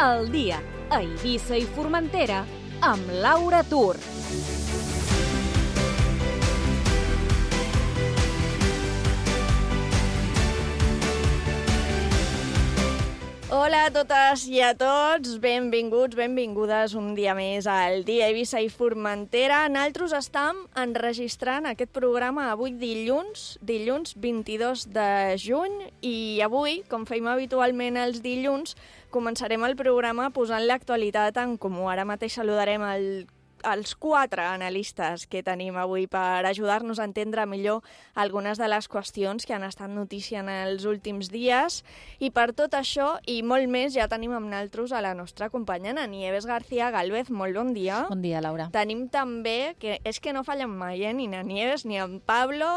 Al dia, a Eivissa i Formentera, amb Laura Tur. Hola a totes i a tots, benvinguts, benvingudes un dia més al dia Eivissa i Formentera. Nosaltres estem enregistrant aquest programa avui dilluns 22 de juny, i avui, com feim habitualment els dilluns, començarem el programa posant l'actualitat en comú. Ara mateix saludarem els 4 analistes que tenim avui per ajudar-nos a entendre millor algunes de les qüestions que han estat notícia en els últims dies. I per tot això i molt més ja tenim amb nosaltres a la nostra companya Nieves García Gálvez. Molt bon dia. Bon dia, Laura. Tenim també, que és que no fallen mai, ni na Nieves ni en Pablo,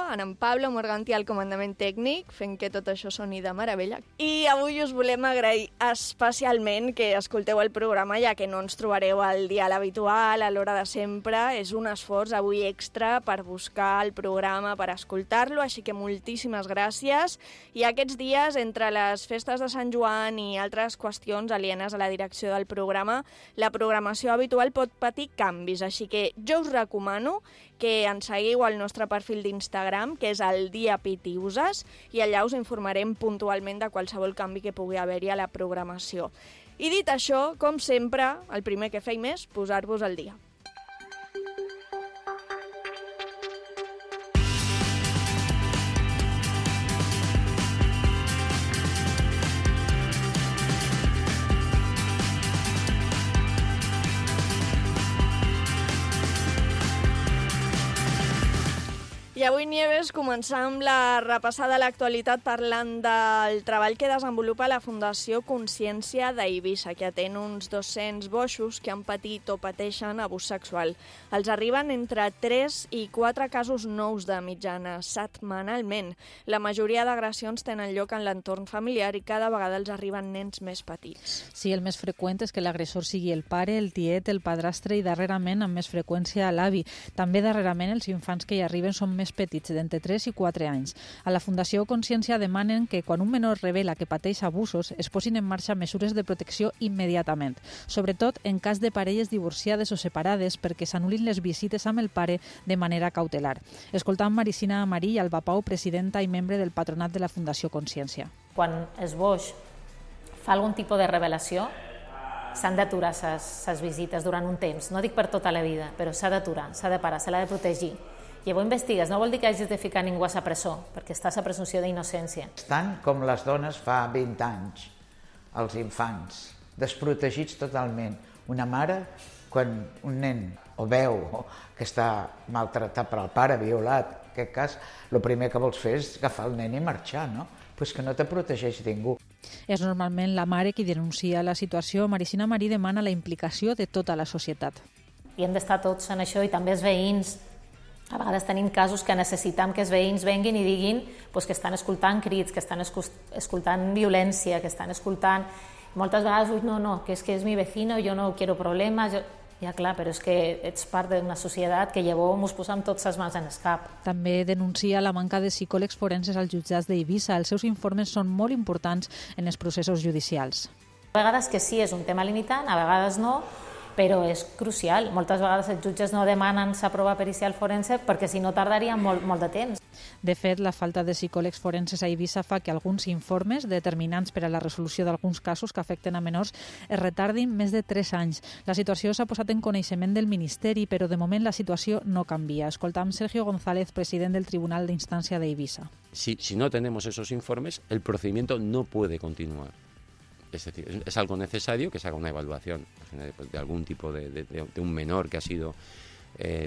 Morganti al comandament tècnic, fent que tot això soni de meravella. I avui us volem agrair especialment que escolteu el programa, ja que no ens trobareu al dia l'habitual, a l'hora de sempre. És un esforç avui extra per buscar el programa, per escoltar-lo, així que moltíssimes gràcies. I aquests dies, entre les festes de Sant Joan i altres qüestions alienes a la direcció del programa, la programació habitual pot patir canvis, així que jo us recomano que ens seguiu al nostre perfil d'Instagram, que és el Dia Pitiuses, i allà us informarem puntualment de qualsevol canvi que pugui haver-hi a la programació. I dit això, com sempre, el primer que feim és posar-vos al dia. I avui, Nieves, començam la repassada de l'actualitat parlant del treball que desenvolupa la Fundació Consciència d'Eivissa, que atén uns 200 boixos que han patit o pateixen abús sexual. Els arriben entre 3 i 4 casos nous de mitjana setmanalment. La majoria d'agressions tenen lloc en l'entorn familiar i cada vegada els arriben nens més petits. Sí, el més freqüent és que l'agressor sigui el pare, el tiet, el padrastre i darrerament amb més freqüència l'avi. També darrerament els infants que hi arriben són més petits, d'entre 3 i 4 anys. A la Fundació Consciència demanen que quan un menor revela que pateix abusos es posin en marxa mesures de protecció immediatament, sobretot en cas de parelles divorciades o separades, perquè s'anul·lin les visites amb el pare de manera cautelar. Escoltam Maricina Amarí i Alba Pau, presidenta i membre del patronat de la Fundació Consciència. Quan es boix fa algun tipus de revelació, s'han d'aturar ses visites durant un temps. No dic per tota la vida, però s'ha d'aturar, s'ha de parar, se l'ha de protegir. I avui investigues, no vol dir que hagis de ficar ningú a sa presó, perquè estàs a presumpció d'innocència. Estan com les dones fa 20 anys, els infants, desprotegits totalment. Una mare, quan un nen o veu que està maltratat per el pare, violat, en aquest cas, el primer que vols fer és agafar el nen i marxar, no? Pues que no te protegeix ningú. És normalment la mare qui denuncia la situació. Maricina Marí demana la implicació de tota la societat. I hem d'estar tots en això, i també els veïns. A vegades tenim casos que necessitem que els veïns venguin i diguin que estan escoltant crits, que estan escoltant violència, que estan escoltant... Moltes vegades, no, que és mi vecino, jo no quiero problemes... Ja, clar, però és que ets part d'una societat que llavors ens posem tots les mans en el cap. També denuncia la manca de psicòlegs forenses als jutjats d'Eivissa. Els seus informes són molt importants en els processos judicials. A vegades que sí, és un tema limitant, a vegades no, però és crucial. Moltes vegades els jutges no demanen sa prova pericial forense perquè si no tardaria molt de temps. De fet, la falta de psicòlegs forenses a Eivissa fa que alguns informes determinants per a la resolució d'alguns casos que afecten a menors es retardin més de 3 anys. La situació s'ha posat en coneixement del Ministeri, però de moment la situació no canvia. Escoltam Sergio González, president del Tribunal de Instancia de Eivissa. Si no tenemos esos informes, el procedimiento no puede continuar. Es decir, es algo necesario que se haga una evaluación de algún tipo de un menor que ha sido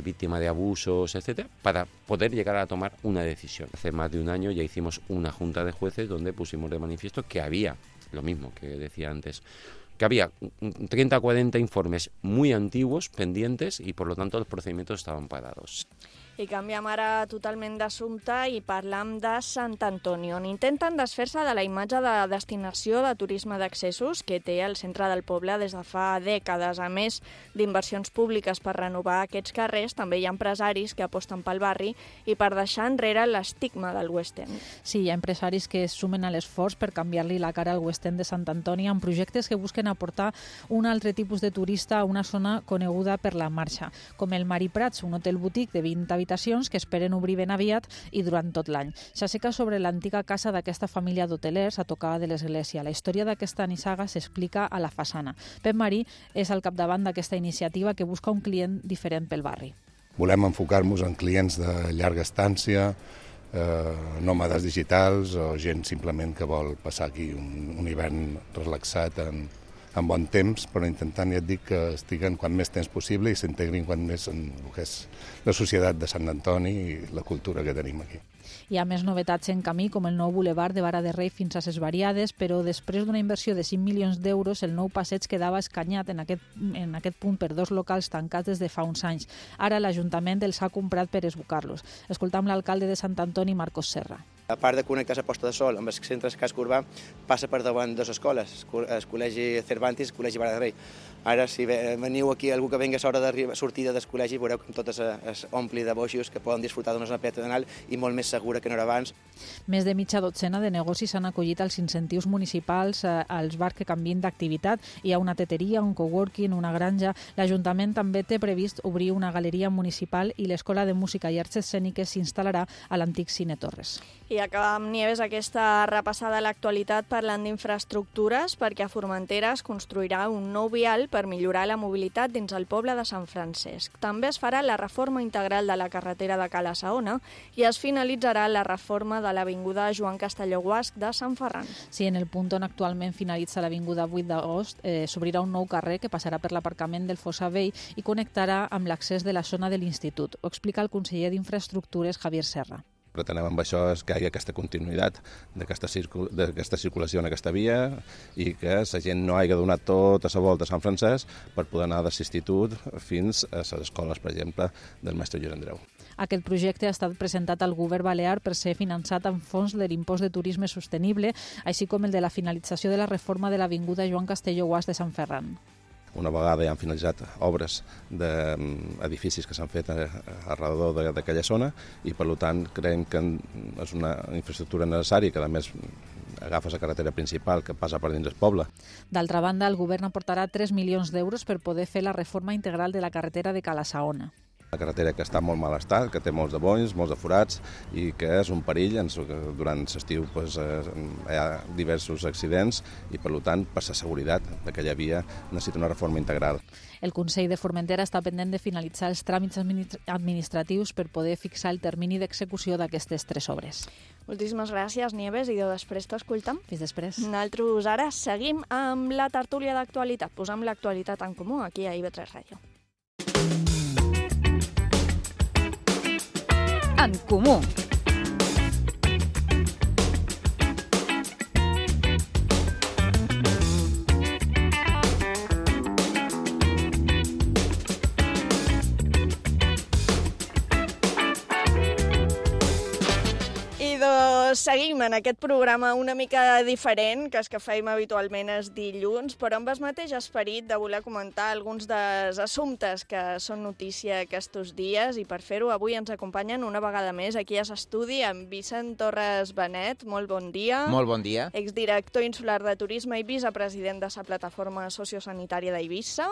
víctima de abusos, etcétera, para poder llegar a tomar una decisión. Hace más de un año ya hicimos una junta de jueces donde pusimos de manifiesto que había, lo mismo que decía antes, que había 30 o 40 informes muy antiguos pendientes y por lo tanto los procedimientos estaban parados. I canviem ara totalment d'assumpte i parlam de Sant Antoni, on intenten desfer-se de la imatge de destinació de turisme d'accessos que té el centre del poble des de fa dècades. A més d'inversions públiques per renovar aquests carrers, també hi ha empresaris que aposten pel barri i per deixar enrere l'estigma del West End. Sí, hi ha empresaris que es sumen a l'esforç per canviar-li la cara al West End de Sant Antoni amb projectes que busquen aportar un altre tipus de turista a una zona coneguda per la marxa, com el Mari Prats, un hotel boutique de 20 habitacions que esperen obrir ben aviat i durant tot l'any. S'asseca sobre l'antiga casa d'aquesta família d'hotelers a tocar de l'església. La història d'aquesta nissaga s'explica a la façana. Pep Marí és al capdavant d'aquesta iniciativa que busca un client diferent pel barri. Volem enfocar-nos en clients de llarga estància, nòmades digitals o gent simplement que vol passar aquí un hivern relaxat en bon temps, però intentant, ja et dic, que estiguen quan més temps possible i s'integrin quan més en el que és la societat de Sant Antoni i la cultura que tenim aquí. Hi ha més novetats en camí, com el nou bulevard de Vara de Rei fins a Ses Variades, però després d'una inversió de 5 milions d'euros, el nou passeig quedava escanyat en aquest punt per dos locals tancats des de fa uns anys. Ara l'Ajuntament els ha comprat per esbucar-los. Escoltam l'alcalde de Sant Antoni, Marcos Serra. A part de connectar la Posta de Sol amb el centre del casc urbà, passa per davant dues escoles, el Col·legi Cervantes i el Col·legi Vara de Rei. Ara, si veniu aquí, algú que vengui a l'hora de sortida del col·legi, veureu que tot es ompli de boixos que poden disfrutar d'una zona peatonal i molt més segura que no era abans. Més de mitja dotzena de negocis s'han acollit als incentius municipals als bars que canvien d'activitat. Hi ha una teteria, un coworking, una granja. L'Ajuntament també té previst obrir una galeria municipal i l'Escola de Música i Arts Escèniques s'instal·larà a l'antic Cine Torres. I acabam, Nieves, aquesta repassada a l'actualitat parlant d'infraestructures perquè a Formentera es construirà un nou vial per millorar la mobilitat dins el poble de Sant Francesc. També es farà la reforma integral de la carretera de Cala Saona i es finalitzarà la reforma de l'avinguda Joan Castelló Guasch de Sant Ferran. Sí, en el punt on actualment finalitza l'avinguda 8 d'agost s'obrirà un nou carrer que passarà per l'aparcament del Fossar Vell i connectarà amb l'accés de la zona de l'Institut. Ho explica el conseller d'Infraestructures, Javier Serra. Pretenem amb això que hi hagi aquesta continuïtat d'aquesta circulació en aquesta via i que la gent no hagi donat tota la volta a Sant Francesc per poder anar de l'Institut fins a les escoles, per exemple, del mestre Lluís Andreu. Aquest projecte ha estat presentat al govern balear per ser finançat amb fons de l'impost de turisme sostenible, així com el de la finalització de la reforma de l'avinguda Joan Castelló Guasch de Sant Ferran. Una vegada ja han finalitzat obres d'edificis que s'han fet arrelor d'aquella zona i, per tant, creiem que és una infraestructura necessària que, a més, agafa la carretera principal que passa per dins del poble. D'altra banda, el govern aportarà 3 milions d'euros per poder fer la reforma integral de la carretera de Cala Saona. La carretera que està en molt mal estat, que té molts de bonys, molts de forats i que és un perill. Durant l'estiu hi ha diversos accidents i, per tant, per la seguretat d'aquella via necessita una reforma integral. El Consell de Formentera està pendent de finalitzar els tràmits administratius per poder fixar el termini d'execució d'aquestes 3 obres. Moltíssimes gràcies, Nieves, i després t'escoltam. Fins després. Nosaltres ara seguim amb la tertúlia d'actualitat. Posam l'actualitat en comú aquí a IB3 Ràdio. En comú. Seguim en aquest programa una mica diferent, que és que feim habitualment els dilluns, però amb el mateix esperit de voler comentar alguns dels assumptes que són notícia aquests dies, i per fer-ho avui ens acompanyen una vegada més aquí a l'estudi amb Vicent Torres Benet. Molt bon dia. Molt bon dia. Exdirector insular de turisme i vicepresident de la plataforma sociosanitària d'Eivissa.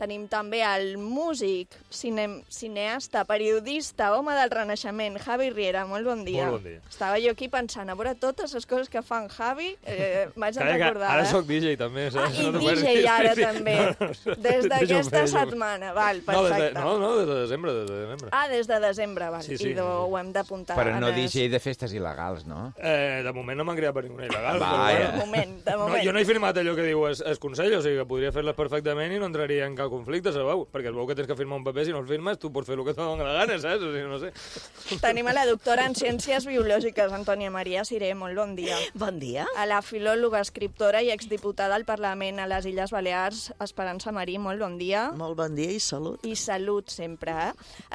Tenim també el músic, cineasta, periodista, home del Renaixement, Javi Riera. Molt bon dia. Molt bon dia. Estava jo aquí pensant, a veure totes les coses que fa en Javi, m'haig de recordar. Ara soc DJ també, saps? I DJ ara també, des d'aquesta setmana, val, perfecte. No, des de desembre. Ah, des de desembre, val, sí. I ho hem d'apuntar. Però no DJ de festes il·legals, no? De moment no m'han creat per ninguna il·legal. De moment. Jo no he firmat allò que diu el Consell, o sigui que podria fer-les perfectament i no entraria en cap conflicte, sabeu? Perquè es veu que tens que firmar un paper, si no el firmes tu pots fer el que et dona la gana, saps? O sigui, no sé. Tenim a la doctora en Ciències Biològiques, Antònia Antònia Maria Siré, molt bon dia. Bon dia. A la filòloga, escriptora i exdiputada al Parlament a les Illes Balears, Esperança Marí, molt bon dia. Molt bon dia i salut. I salut sempre,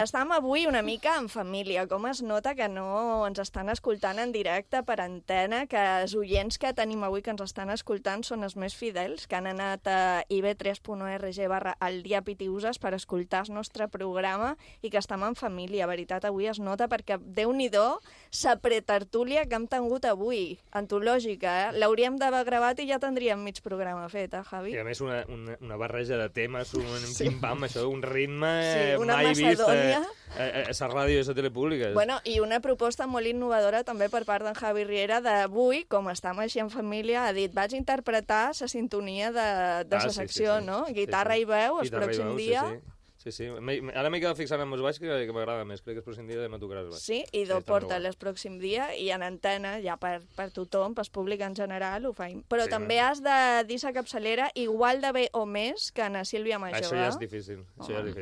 Estam avui una mica en família. Com es nota que no ens estan escoltant en directe per antena, que els oients que tenim avui que ens estan escoltant són els més fidels, que han anat a ib3.org/eldiapitiuses per escoltar el nostre programa i que estem en família. Veritat, avui es nota perquè, Déu-n'hi-do, sa pretertúlia que hem tingut avui, antològica, L'hauríem d'haver gravat i ja tindríem mig programa fet, Javi? I a més una barreja de temes, un pim-pam, això, un ritme una mai vist a macedònia. la ràdio i a la tele pública. Bueno, i una proposta molt innovadora també per part d'en Javi Riera d'avui, com estem així en família, ha dit, vaig interpretar la sintonia de la secció, no? Guitarra i veu, el pròxim dia. Sí. Ara m'he quedat fixant en els baix, que m'agrada més. Crec que el pròxim dia no tocarà els baix. Sí, i porta el pròxim dia i en antena, ja per tothom, pel públic en general, ho faim. Però també has de dir la capçalera igual de bé o més que na Sílvia Major. Això ja és difícil.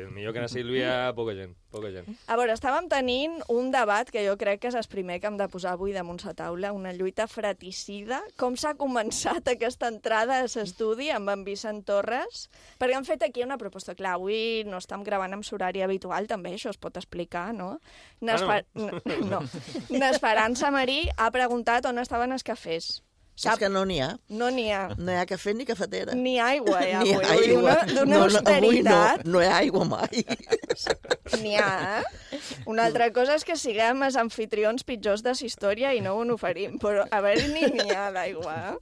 Millor que na Sílvia, poca gent. A veure, estàvem tenint un debat que jo crec que és el primer que hem de posar avui damunt la taula, una lluita fratricida. Com s'ha començat aquesta entrada a l'estudi amb en Vicent Torres? Perquè han fet aquí una proposta. Clar, avui no estem gravant amb l'horari habitual, també, això es pot explicar, no? N'Esperança Marí ha preguntat on estaven els cafès. És que no n'hi ha. No n'hi ha. No hi ha cafè ni cafetera. Ni aigua, ja. Ni aigua. D'una austeritat. No hi ha aigua mai. N'hi ha, Una altra cosa és que siguem els anfitrions pitjors de la història i no ho oferim, però a veure, n'hi ha d'aigua,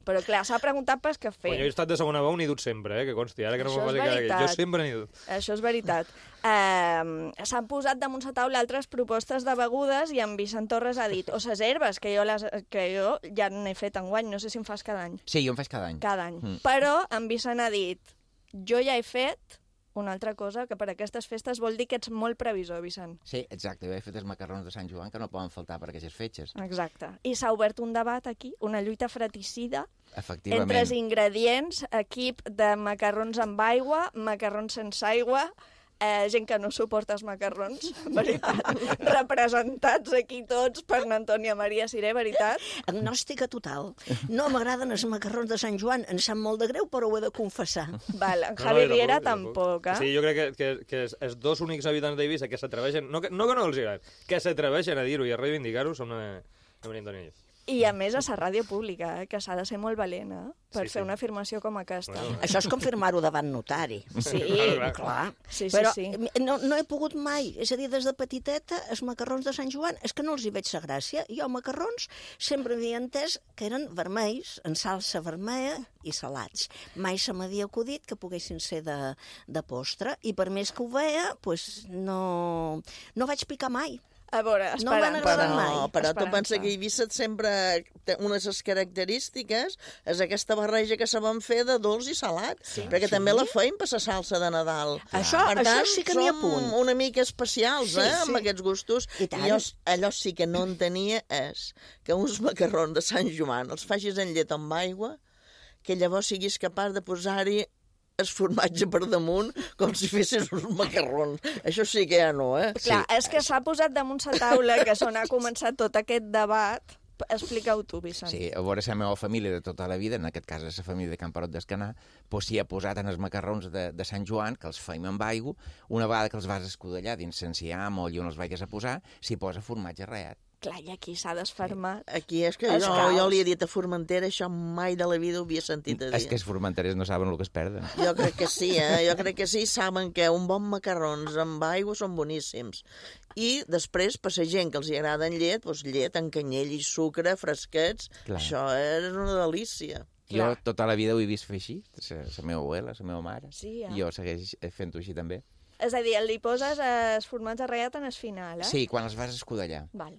Però, clar, s'ha preguntat pel cafè. Jo he estat de segona veu, n'he dut sempre, que consti. Ara que no me'n faci cara, jo sempre n'he dut. Això és veritat. S'han posat damunt la taula altres propostes de begudes i en Vicent Torres ha dit, o les herbes, que jo ja n'he fet enguany, no sé si en fas cada any. Sí, jo en faig cada any. Cada any. Però en Vicent ha dit, jo ja he fet una altra cosa, que per aquestes festes vol dir que ets molt previsor, Vicent. Sí, exacte. Jo he fet els macarrons de Sant Joan que no poden faltar per aquestes fetges. Exacte. I s'ha obert un debat aquí, una lluita fratricida entre els ingredients, equip de macarrons amb aigua, macarrons sense aigua, gent que no suporta els macarrons, veritat. Representats aquí tots per Antònia Maria Siré, veritat. Agnòstica total. No m'agraden els macarrons de Sant Joan, em sap molt de greu, però ho he de confessar. Val, Javi Riera tampoc, Sí, jo crec que els dos únics habitants d'Eivissa que s'atreveixen, no que no els agrada, que s'atreveixen a dir-ho i a reivindicar-ho són la Maria Antònia i jo. I a més a la ràdio pública, que s'ha de ser molt valent, per fer una afirmació com aquesta. Bueno. Això és confirmar-ho davant notari. Sí, clar. Sí, però sí. No he pogut mai, és a dir, des de petiteta, els macarrons de Sant Joan, és que no els hi veig la gràcia. Jo macarrons sempre havia entès que eren vermells, en salsa vermella i salats. Mai se m'havia acudit que poguessin ser de postre, i per més que ho veia, no vaig picar mai. A veure, no m'han agradat mai. Però tu pensa que Eivissa sempre unes de les característiques és aquesta barreja que sabem fer de dolç i salat, perquè també la feim per la salsa de Nadal. Això sí que n'hi ha punt. Som una mica especials, amb aquests gustos. I allò sí que no entenia és que uns macarrons de Sant Joan els facis en llet amb aigua, que llavors siguis capaç de posar-hi el formatge per damunt com si fessis uns macarrons. Això sí que ja no, Clar, és que s'ha posat damunt la taula, que on ha començat tot aquest debat. Explica-ho tu, Vicent. Sí, a veure, la meva família de tota la vida, en aquest cas la família de Camperot d'Escanar, s'hi ha posat en els macarrons de Sant Joan, que els feim amb aigua, una vegada que els vas escudallar dins l'enciam o allà on els vagis a posar, s'hi posa formatge ratllat. Clar, i aquí s'ha desfermat. Aquí és que jo li he dit a Formentera, això mai de la vida ho havia sentit a dir. És que els formenterers no saben el que es perden. Jo crec que sí, Jo crec que sí, saben que un bon macarrons amb aigua són boníssims. I després, per la gent que els agrada en llet, doncs llet, en canyell i sucre, fresquets, això és una delícia. Jo tota la vida ho he vist fer així, la meva abuela, la meva mare. Sí, I jo segueix fent-ho així també. És a dir, li poses el formatge ratllat en el final, Sí, quan els vas escudallar. Val.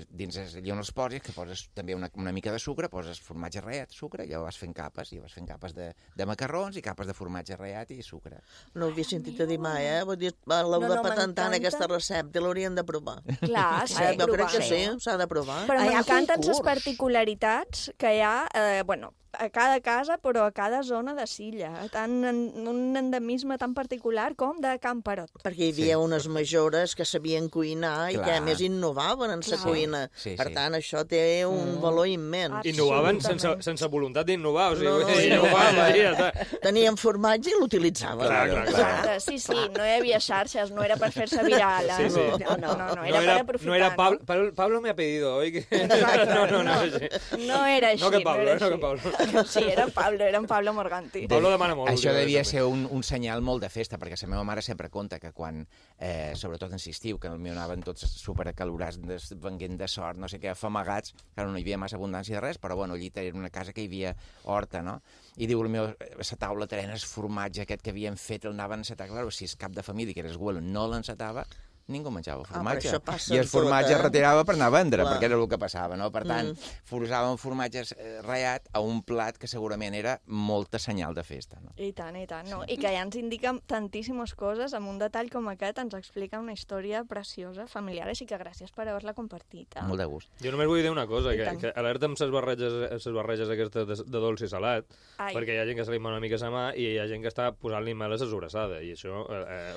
Dins allà on els poses, que poses també una mica de sucre, poses formatge ratllat, sucre, i ja vas fent capes, de macarrons i capes de formatge ratllat i sucre. No ho havia sentit a dir mai, Vull dir, l'heu de patentar en aquesta recepta, l'haurien de provar. Clar, s'ha de provar. Jo crec que sí, s'ha de provar. Però m'encanten les particularitats que hi ha, a cada casa, però a cada zona de Silla, tant un endemisme tan particular com de Camperot. Perquè hi havia unes majores que sabien cuinar i que a més innovaven en la cuina. Per tant, això té un valor immens. Innovaven sense voluntat d'innovar, o sigui, tenien formatge i l'utilitzaven. Clar. Sí, no hi havia xarxes, no era per fer-se viral. No, era per aprofitar. No era Pablo me ha pedido, oi? No era així. No que Pablo. Sí, era en Pablo Morganti. Pablo demana molt. Això devia ser un senyal molt de festa, perquè la meva mare sempre conta que quan, sobretot en l'estiu, que potser anaven tots superacalorats, venguent de sort, no sé què, afamagats, que no hi havia massa abundància de res, però bueno, allí era una casa que hi havia horta, no? I diu, la taula trenes formatge aquest que havien fet, el anaven a encetar, clar, si és cap de família, que era abuelo, no l'encetava, ningú menjava formatge. I el formatge es retirava per anar a vendre, perquè era el que passava, no? Per tant, forçàvem formatges ratllat a un plat que segurament era molta senyal de festa, no? I tant, no? I que ja ens indica tantíssimes coses, amb un detall com aquest ens explica una història preciosa, familiar, així que gràcies per haver-la compartit. Molt de gust. Jo només vull dir una cosa, que alerta amb les barreges aquestes de dolç i salat, perquè hi ha gent que se li una mica a la mà i hi ha gent que està posant-li mel a la sobrassada, i això,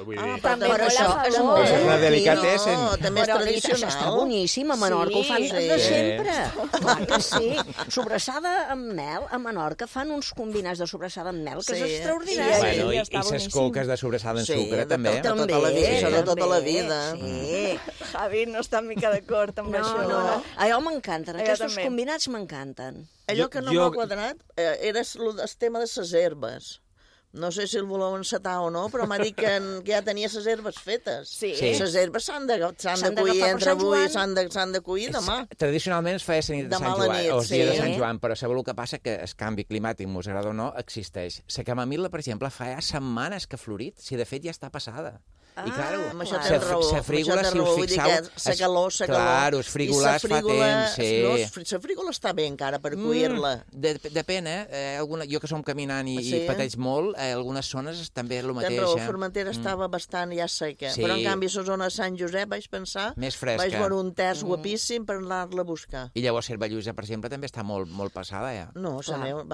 vull dir... Però això és molt delicatessen. No, també és tradicional. Està boníssim, a Menorca ho fan de sempre. Clar que sí. Sobrassada amb mel, a Menorca fan uns combinats de sobrassada amb mel, que és extraordinari. Bueno, i les coques de sobrassada en sucre, també. De tota la vida. Sí. Javi no està mica d'acord amb això. No. Allò m'encanten, aquests combinats m'encanten. Allò que no m'ha quadrat era el tema de les herbes. No sé si el voleu encetar o no, però m'ha dit que ja tenia les herbes fetes. Sí. Les herbes s'han de cuir entre avui i s'han de cuir demà. Tradicionalment es feia la nit de Sant Joan, o el dia de Sant Joan, però sabeu el que passa? Que el canvi climàtic, mos agrada o no, existeix. La camamil·la, per exemple, fa ja setmanes que ha florit, si de fet ja està passada. I clar, la frígola, si us fixeu... La calor. Claro, els frígoles fa temps, sí. La frígola està bé encara per cuir-la. Depèn, jo que som caminant i pateix molt, algunes zones també és el mateix. La Formentera estava bastant ja seca, però en canvi la zona de Sant Josep vaig pensar... Més fresca. Vaig veure un terç guapíssim per anar-la a buscar. I llavors Cervallusa, per exemple, també està molt passada, ja. No, la meva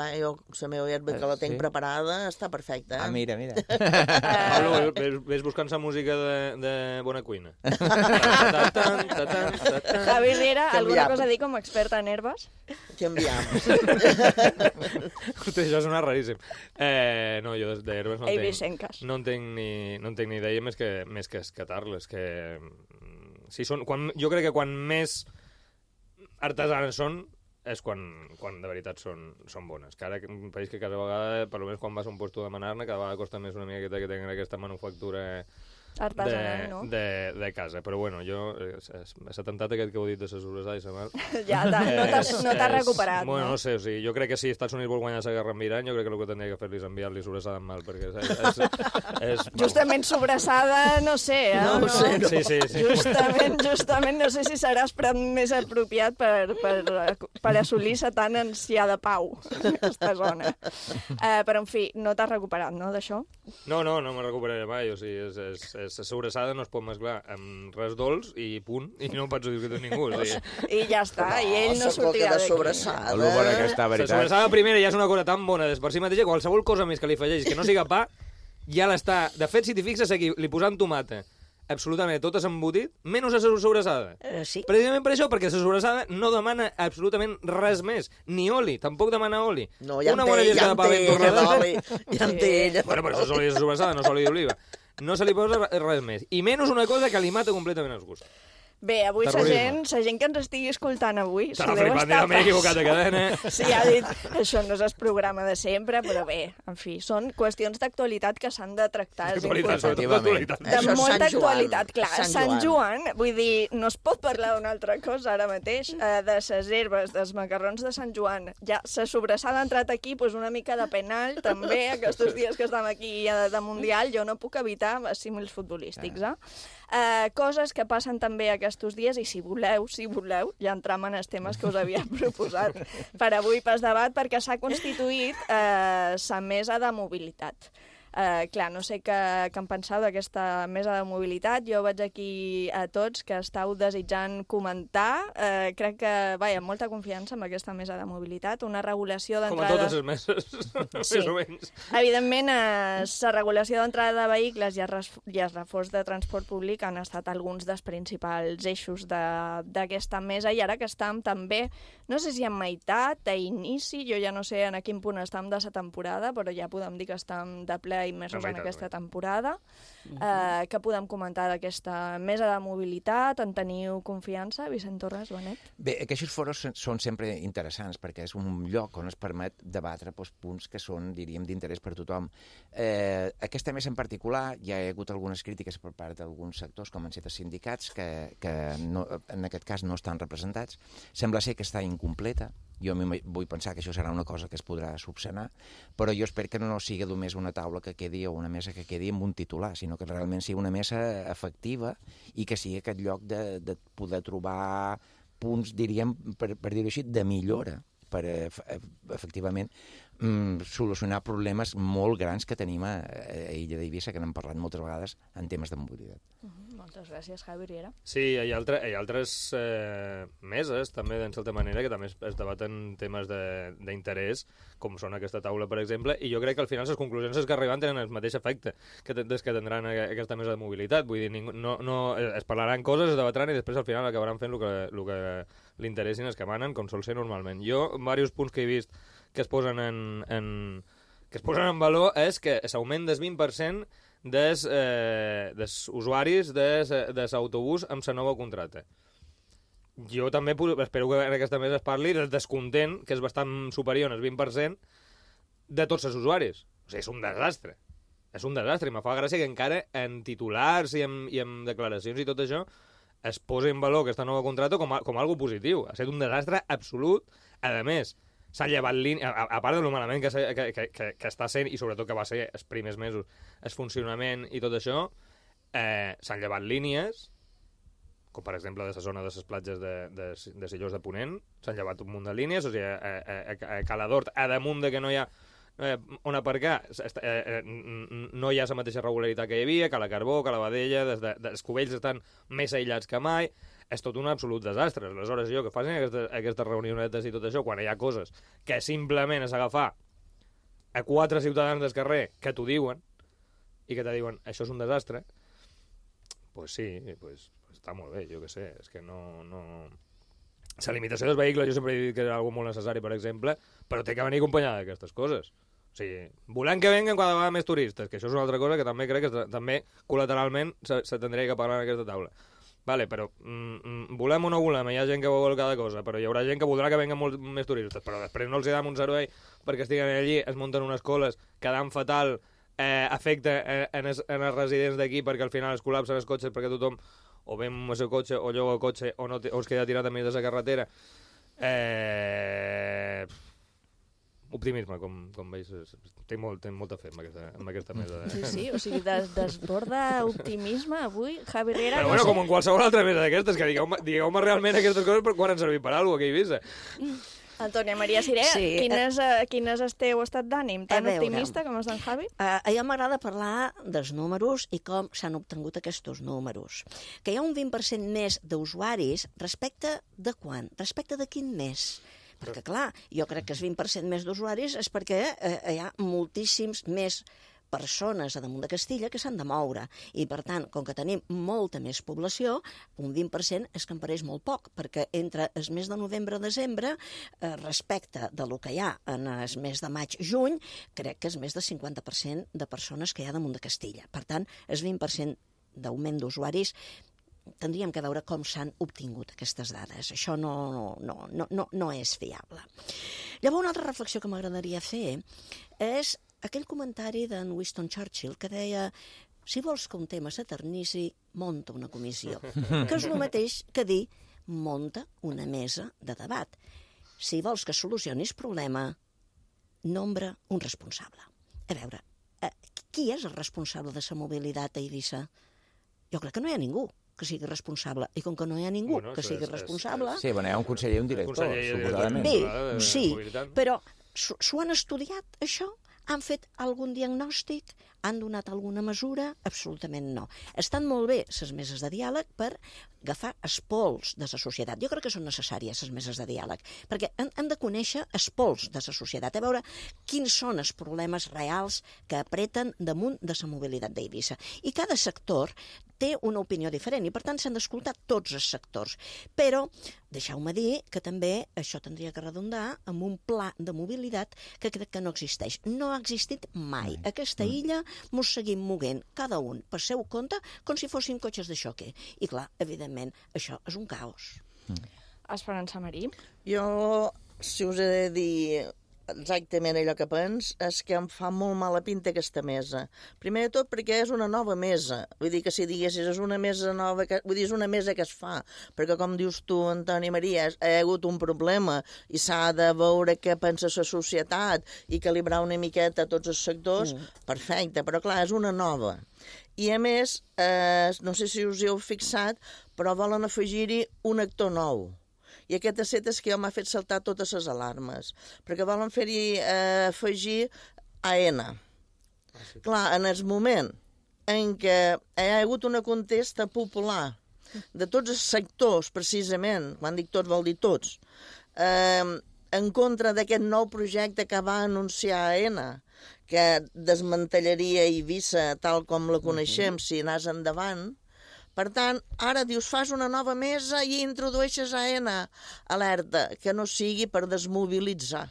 herba que la tenc preparada està perfecta. Ah, mira. Pablo, ves buscant la música de bona cuina. Javi Riera, alguna cosa a dir com a experta en herbes? Canviam. Hosti, això sona raríssim. No, jo d'herbes no en tenc ni idea més que escatar-les. Jo crec que quan més artesanes són és quan de veritat són bones. Que ara, un país que cada vegada, per almenys quan vas a un lloc a demanar-ne, cada vegada costa més una miqueta que tenen aquesta manufactura artesanal, no? De casa. Però bueno, jo, l'atemptat aquest que heu dit de la sobrassada i la mal... Ja, no t'has recuperat, bueno, no? No sé, o sigui, jo crec que si Estats Units vol guanyar la guerra amb Iran, jo crec que el que tindria que fer-li és enviar-li sobrassada amb mal, perquè és justament sobrassada, no sé, No sé. Sí. Justament no sé si serà esperat més apropiat per assolir la tan ansiada pau en aquesta zona. Però, en fi, no t'has recuperat, no, d'això? No me recuperaré mai, o sigui, la sobrassada no es pot mesclar amb res dolç i punt, i no ho pots discutir ningú. O sigui. I ja està, i ell no sortirà d'aquí. Sobrassada. La sobrassada primera ja és una cosa tan bona per si mateixa, qualsevol cosa més que li afegeix que no siga pa, ja l'està. De fet, si t'hi fixes aquí, li posant tomata, absolutament tot és embotit, menys la sobrassada. Sí. Precisament per això, perquè la sobrassada no demana absolutament res més, ni oli, tampoc demana oli. No, ja en té ella. Bueno, però això és oli de sobrassada, no és oli d'oliva. No se li posa res més. I menys una cosa que li mata completament els gustos. Bé, avui la gent que ens estigui escoltant avui... T'ha flipant, m'he equivocat de cadena. Sí, ha dit, això no és el programa de sempre, però bé, en fi, són qüestions d'actualitat que s'han de tractar. De molta actualitat, clar. Sant Joan, vull dir, no es pot parlar d'una altra cosa ara mateix, de les herbes, dels macarrons de Sant Joan. Ja, la sobrassada ha entrat aquí, doncs una mica de penal, també, aquests dies que estem aquí de Mundial, jo no puc evitar símils futbolístics, coses que passen també aquests dies, i si voleu, ja entram en els temes que us havia proposat per avui pel debat, perquè s'ha constituït la mesa de mobilitat. Clar, no sé què en penseu d'aquesta mesa de mobilitat. Jo veig aquí a tots que estàu desitjant comentar. Crec que, vaja, amb molta confiança amb aquesta mesa de mobilitat. Una regulació d'entrada... Com a totes les meses, sí. més o menys. Evidentment, la regulació d'entrada de vehicles i el reforç de transport públic han estat alguns dels principals eixos d'aquesta mesa, i ara que estem també, no sé si en meitat, a inici, jo ja no sé en quin punt estem de la temporada, però ja podem dir que estem de ple immersos en aquesta temporada. Què podem comentar d'aquesta mesa de mobilitat? En teniu confiança, Vicent Torres, Benet? Bé, aquests foros són sempre interessants perquè és un lloc on es permet debatre punts que són, diríem, d'interès per tothom. Aquesta mesa en particular ja hi ha hagut algunes crítiques per part d'alguns sectors, com han estat els sindicats, que no, en aquest cas no estan representats. Sembla ser que està incompleta. Jo vull pensar que això serà una cosa que es podrà subsanar, però jo espero que no sigui només una taula que quedi o una mesa que quedi amb un titular, sinó que realment sigui una mesa efectiva i que sigui aquest lloc de poder trobar punts, diríem, per dir-ho així, de millora per efectivament solucionar problemes molt grans que tenim a Illa d'Eivissa, que n'hem parlat moltes vegades en temes de mobilitat. Moltes gràcies, Javi Riera. Sí, hi ha altres meses, també, d'en certa manera, que també es debaten temes d'interès, com són aquesta taula, per exemple, i jo crec que al final les conclusions que arriben tenen el mateix efecte que tindran aquesta mesa de mobilitat. Vull dir, es parlaran coses, es debatran i després al final acabaran fent el que li interessin els que manen, com sol ser normalment. Jo, diversos punts que he vist que es posen en valor és que l'augment del 20% dels usuaris de l'autobús amb la nova contracte. Jo també espero que en aquesta mesa es parli del descontent, que és bastant superior al 20%, de tots els usuaris. O sigui, és un desastre. És un desastre, i me fa gràcia que encara en titulars i en declaracions i tot això es posa en valor aquesta nova contracte com algo positiu. Ha estat un desastre absolut. A més, s'ha llevat línia, a part de lo malament que està sent, i sobretot que va ser els primers mesos, el funcionament i tot això, s'han llevat línies, com per exemple de la zona de les platges de Sillós de Ponent, s'han llevat un munt de línies, o sigui, a Caladort, a damunt de que no hi ha on aparcar, no hi ha la mateixa regularitat que hi havia, que la Carbó, que la Badella, els Cubells estan més aïllats que mai. És tot un absolut desastre. Aleshores, jo que facin aquestes reunionetes i tot això, quan hi ha coses que simplement és agafar a 4 ciutadans del carrer que t'ho diuen i que te diuen això és un desastre, pues sí, pues està molt bé, jo què sé, és que no... La limitació dels vehicles jo sempre he dit que és una molt necessari, per exemple, però té que venir acompanyada d'aquestes coses. O sigui, volem que venguen cada vegada més turistes, que això és una altra cosa que també crec que també col·lateralment se tindria que parlar en aquesta taula. Vale, però volem o no volem, hi ha gent que vol cada cosa, però hi haurà gent que voldrà que venguen molt més turistes, però després no els dam un servei perquè estiguen allí, es munten unes coles, quedant fatal, afecta en els residents d'aquí perquè al final es col·lapsen els cotxes perquè tothom o ve amb el seu cotxe o lloga el cotxe o es queda tirat a mig de la carretera. Optimisme, com veus, tinc molta fe amb aquesta mesa. Sí, o sigui, desborda optimisme avui, Javi Riera. Però bueno, com en qualsevol altra mesa d'aquestes, que digueu-me realment aquestes coses per quan han servit per alguna cosa, que Eivissa. Antònia Maria Siré, quin és el teu estat d'ànim? Tan optimista com és d'en Javi? A mi m'agrada parlar dels números i com s'han obtingut aquests números. Que hi ha un 20% més d'usuaris respecte de quan? Respecte de quin mes? Perquè, clar, jo crec que el 20% més d'usuaris és perquè hi ha moltíssims més persones a damunt de Castilla que s'han de moure. I, per tant, com que tenim molta més població, un 20% és que em pareix molt poc, perquè entre el mes de novembre-desembre, respecte de lo que hi ha en el mes de maig-juny, crec que és més del 50% de persones que hi ha damunt de Castilla. Per tant, el 20% d'augment d'usuaris tindríem que veure com s'han obtingut aquestes dades. Això no és fiable. Llavors, una altra reflexió que m'agradaria fer és aquell comentari d'en Winston Churchill que deia si vols que un tema s'eternissi, monta una comissió. Que és el mateix que dir monta una mesa de debat. Si vols que solucionis problema, nombra un responsable. A veure, qui és el responsable de la mobilitat a Eivissa? Jo crec que no hi ha ningú que sigui responsable. I com que no hi ha ningú que sigui responsable... Sí, bueno, hi ha un conseller i un director, suposadament. Bé, sí, però s'ho han estudiat, això? Han fet algun diagnòstic? Han donat alguna mesura? Absolutament no. Estan molt bé les meses de diàleg per agafar els pols de la societat. Jo crec que són necessàries les meses de diàleg, perquè hem de conèixer els pols de la societat, a veure quins són els problemes reals que apreten damunt de la mobilitat d'Eivissa. I cada sector té una opinió diferent i, per tant, s'han d'escoltar tots els sectors. Però deixeu-me dir que també això tindria que redundar amb un pla de mobilitat que crec que no existeix. No ha existit mai. Aquesta illa mos seguim moguent, cada un per seu compte, com si fossin cotxes de xoque. I clar, evidentment, això és un caos. Esperança Marí? Jo, si us he de dir exactament allò que pens, és que em fa molt mala pinta aquesta mesa. Primer de tot perquè és una nova mesa. Vull dir que si diguessis és una mesa nova, vull dir, és una mesa que es fa, perquè com dius tu, Antoni Maria, hi ha hagut un problema i s'ha de veure què pensa la societat i calibrar una miqueta tots els sectors, perfecte, però clar, és una nova. I a més, no sé si us hi heu fixat, però volen afegir-hi un actor nou. I aquest set és que m'ha fet saltar totes les alarmes, perquè volen fer-hi afegir AENA. Clar, en el moment en què hi ha hagut una contesta popular de tots els sectors, precisament, quan dic tots vol dir tots, en contra d'aquest nou projecte que va anunciar AENA, que desmantellaria Eivissa tal com la coneixem si anàs endavant. Per tant, ara dius, fas una nova mesa i introdueixes AENA. Alerta, que no sigui per desmobilitzar.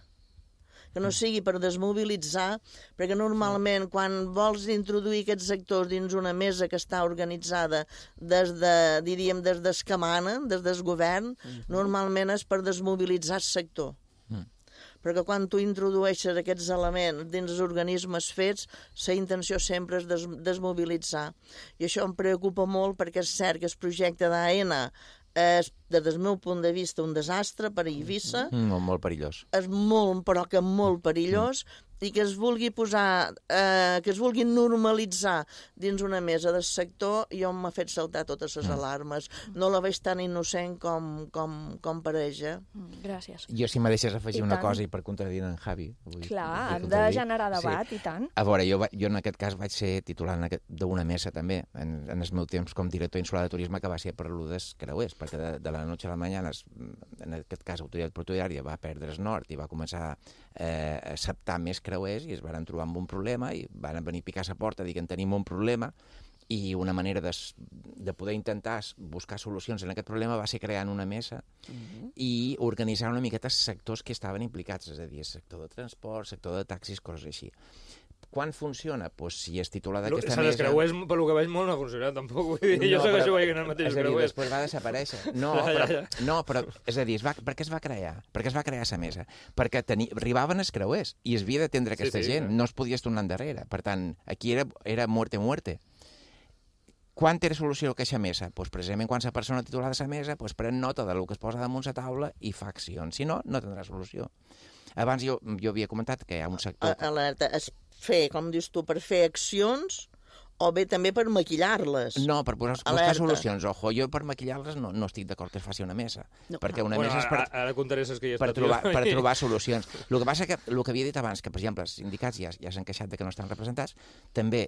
Que no sigui per desmobilitzar, perquè normalment quan vols introduir aquests sectors dins una mesa que està organitzada des que manen, des del govern, normalment és per desmobilitzar el sector. Perquè quan tu introdueixes aquests elements dins els organismes fets, la intenció sempre és desmobilitzar. I això em preocupa molt perquè és cert que el projecte d'AENA és, des del meu punt de vista, un desastre per a Eivissa. Molt perillós. És molt, però que molt perillós, i que es vulgui posar, que es vulgui normalitzar dins una mesa del sector, jo m'ha fet saltar totes les alarmes. No la veig tan innocent com pareix, Gràcies. Jo, si me deixes afegir una cosa i per contradir en Javi... Clar, han de generar debat, i tant. A veure, jo en aquest cas vaig ser titular d'una mesa també, en el meu temps com director insular de turisme, que va ser per l'Udes Creuers, perquè de la noche a la mañana, en aquest cas, l'autoritat portuària va perdre el nord i va començar a acceptar més creuers i es van trobar amb un problema i van venir a picar a la porta i dir que en tenim un problema i una manera de poder intentar buscar solucions en aquest problema va ser creant una mesa i organitzar una miqueta els sectors que estaven implicats, és a dir, el sector de transport, sector de taxis, coses així. Quan funciona? Doncs si és titular d'aquesta mesa... Els creuers, per lo que veig, molt no ha funcionat, tampoc. Vull dir, jo segueixo veient el mateix creuers. Després va desaparèixer. No, però és a dir, per què es va crear? Per què es va crear la mesa? Perquè arribaven els creuers i es havia d'atendre aquesta gent. No es podia tornar endarrere. Per tant, aquí era muerte. Quan té solució aquesta mesa? Doncs precisament quan la persona titular de la mesa pren nota del que es posa damunt la taula i fa accions. Si no, no tindrà solució. Abans jo havia comentat que hi ha un sector... Alerta, és fer, com dius tu, per fer accions o bé també per maquillar-les. No, per buscar solucions. Ojo, jo per maquillar-les no estic d'acord que es faci una mesa. Perquè una mesa és ara contaré les que hi per trobar solucions. El que passa que, el que havia dit abans, que per exemple els sindicats ja s'han queixat de que no estan representats, també,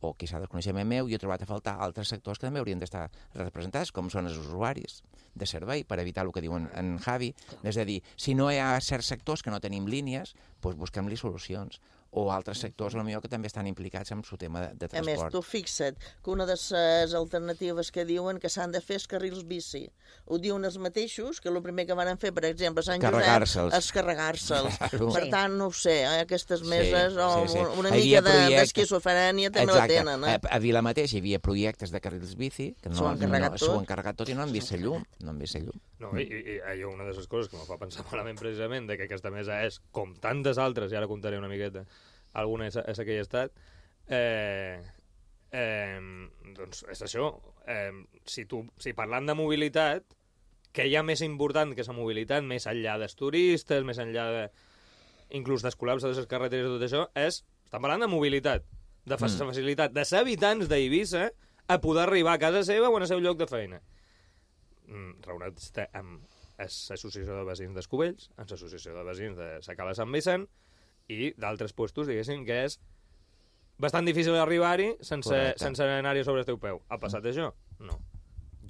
o quizà del coneixement meu, jo he trobat a faltar altres sectors que també haurien d'estar representats, com són els usuaris de servei, per evitar el que diuen en Javi. És a dir, si no hi ha certs sectors que no tenim línies, doncs busquem-li solucions. O altres sectors, potser que també estan implicats en el tema de transport. A més, tu fixa't que una de les alternatives que diuen que s'han de fer és carrils bici. Ho diuen els mateixos, que el primer que van fer, per exemple, a Sant Josep, és carregar-se'ls. Per tant, no ho sé, aquestes meses, una mica d'esquizofrènia també la tenen. A Vila mateix hi havia projectes de carrils bici, que s'ho han carregat tot i no han vist la llum. No, i hi ha una de les coses que me fa pensar malament precisament de que aquesta mesa és, com tantes altres, i ara contaré una miqueta, alguna és aquell estat, doncs és això. Si parlant de mobilitat, què hi ha més important que la mobilitat, més enllà dels turistes, més enllà inclús dels col·lapses de les carreteres i tot això, estem parlant de mobilitat, de facilitat dels habitants d'Eivissa a poder arribar a casa seva o al seu lloc de feina. Reunats amb l'associació de veïns d'Escubells, amb l'associació de veïns de Sacala Sant Vicent i d'altres puestos, diguéssim, que és bastant difícil arribar-hi sense anar-hi sobre el teu peu. Ha passat això? No.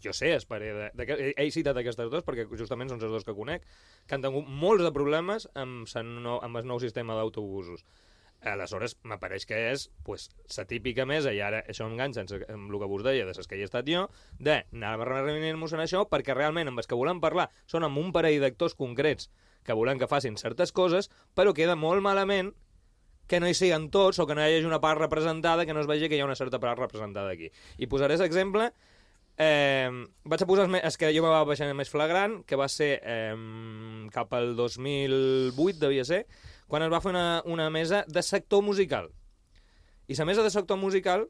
Jo sé, he citat aquestes dues perquè justament són les dues que conec, que han tingut molts de problemes amb el nou sistema d'autobusos. Aleshores, m'apareix que és la típica mesa, i ara això enganxa amb el que vos deia de les que hi he estat jo, d'anar a reunir-nos en això, perquè realment amb els que volem parlar són amb un parell d'actors concrets que volem que facin certes coses, però queda molt malament que no hi siguin tots o que no hi hagi una part representada, que no es vegi que hi ha una certa part representada aquí. I posaré l'exemple. Vaig a posar el que jo me va baixar més flagrant, que va ser cap al 2008, devia ser, quan es va fer una mesa de sector musical. I la mesa de sector musical,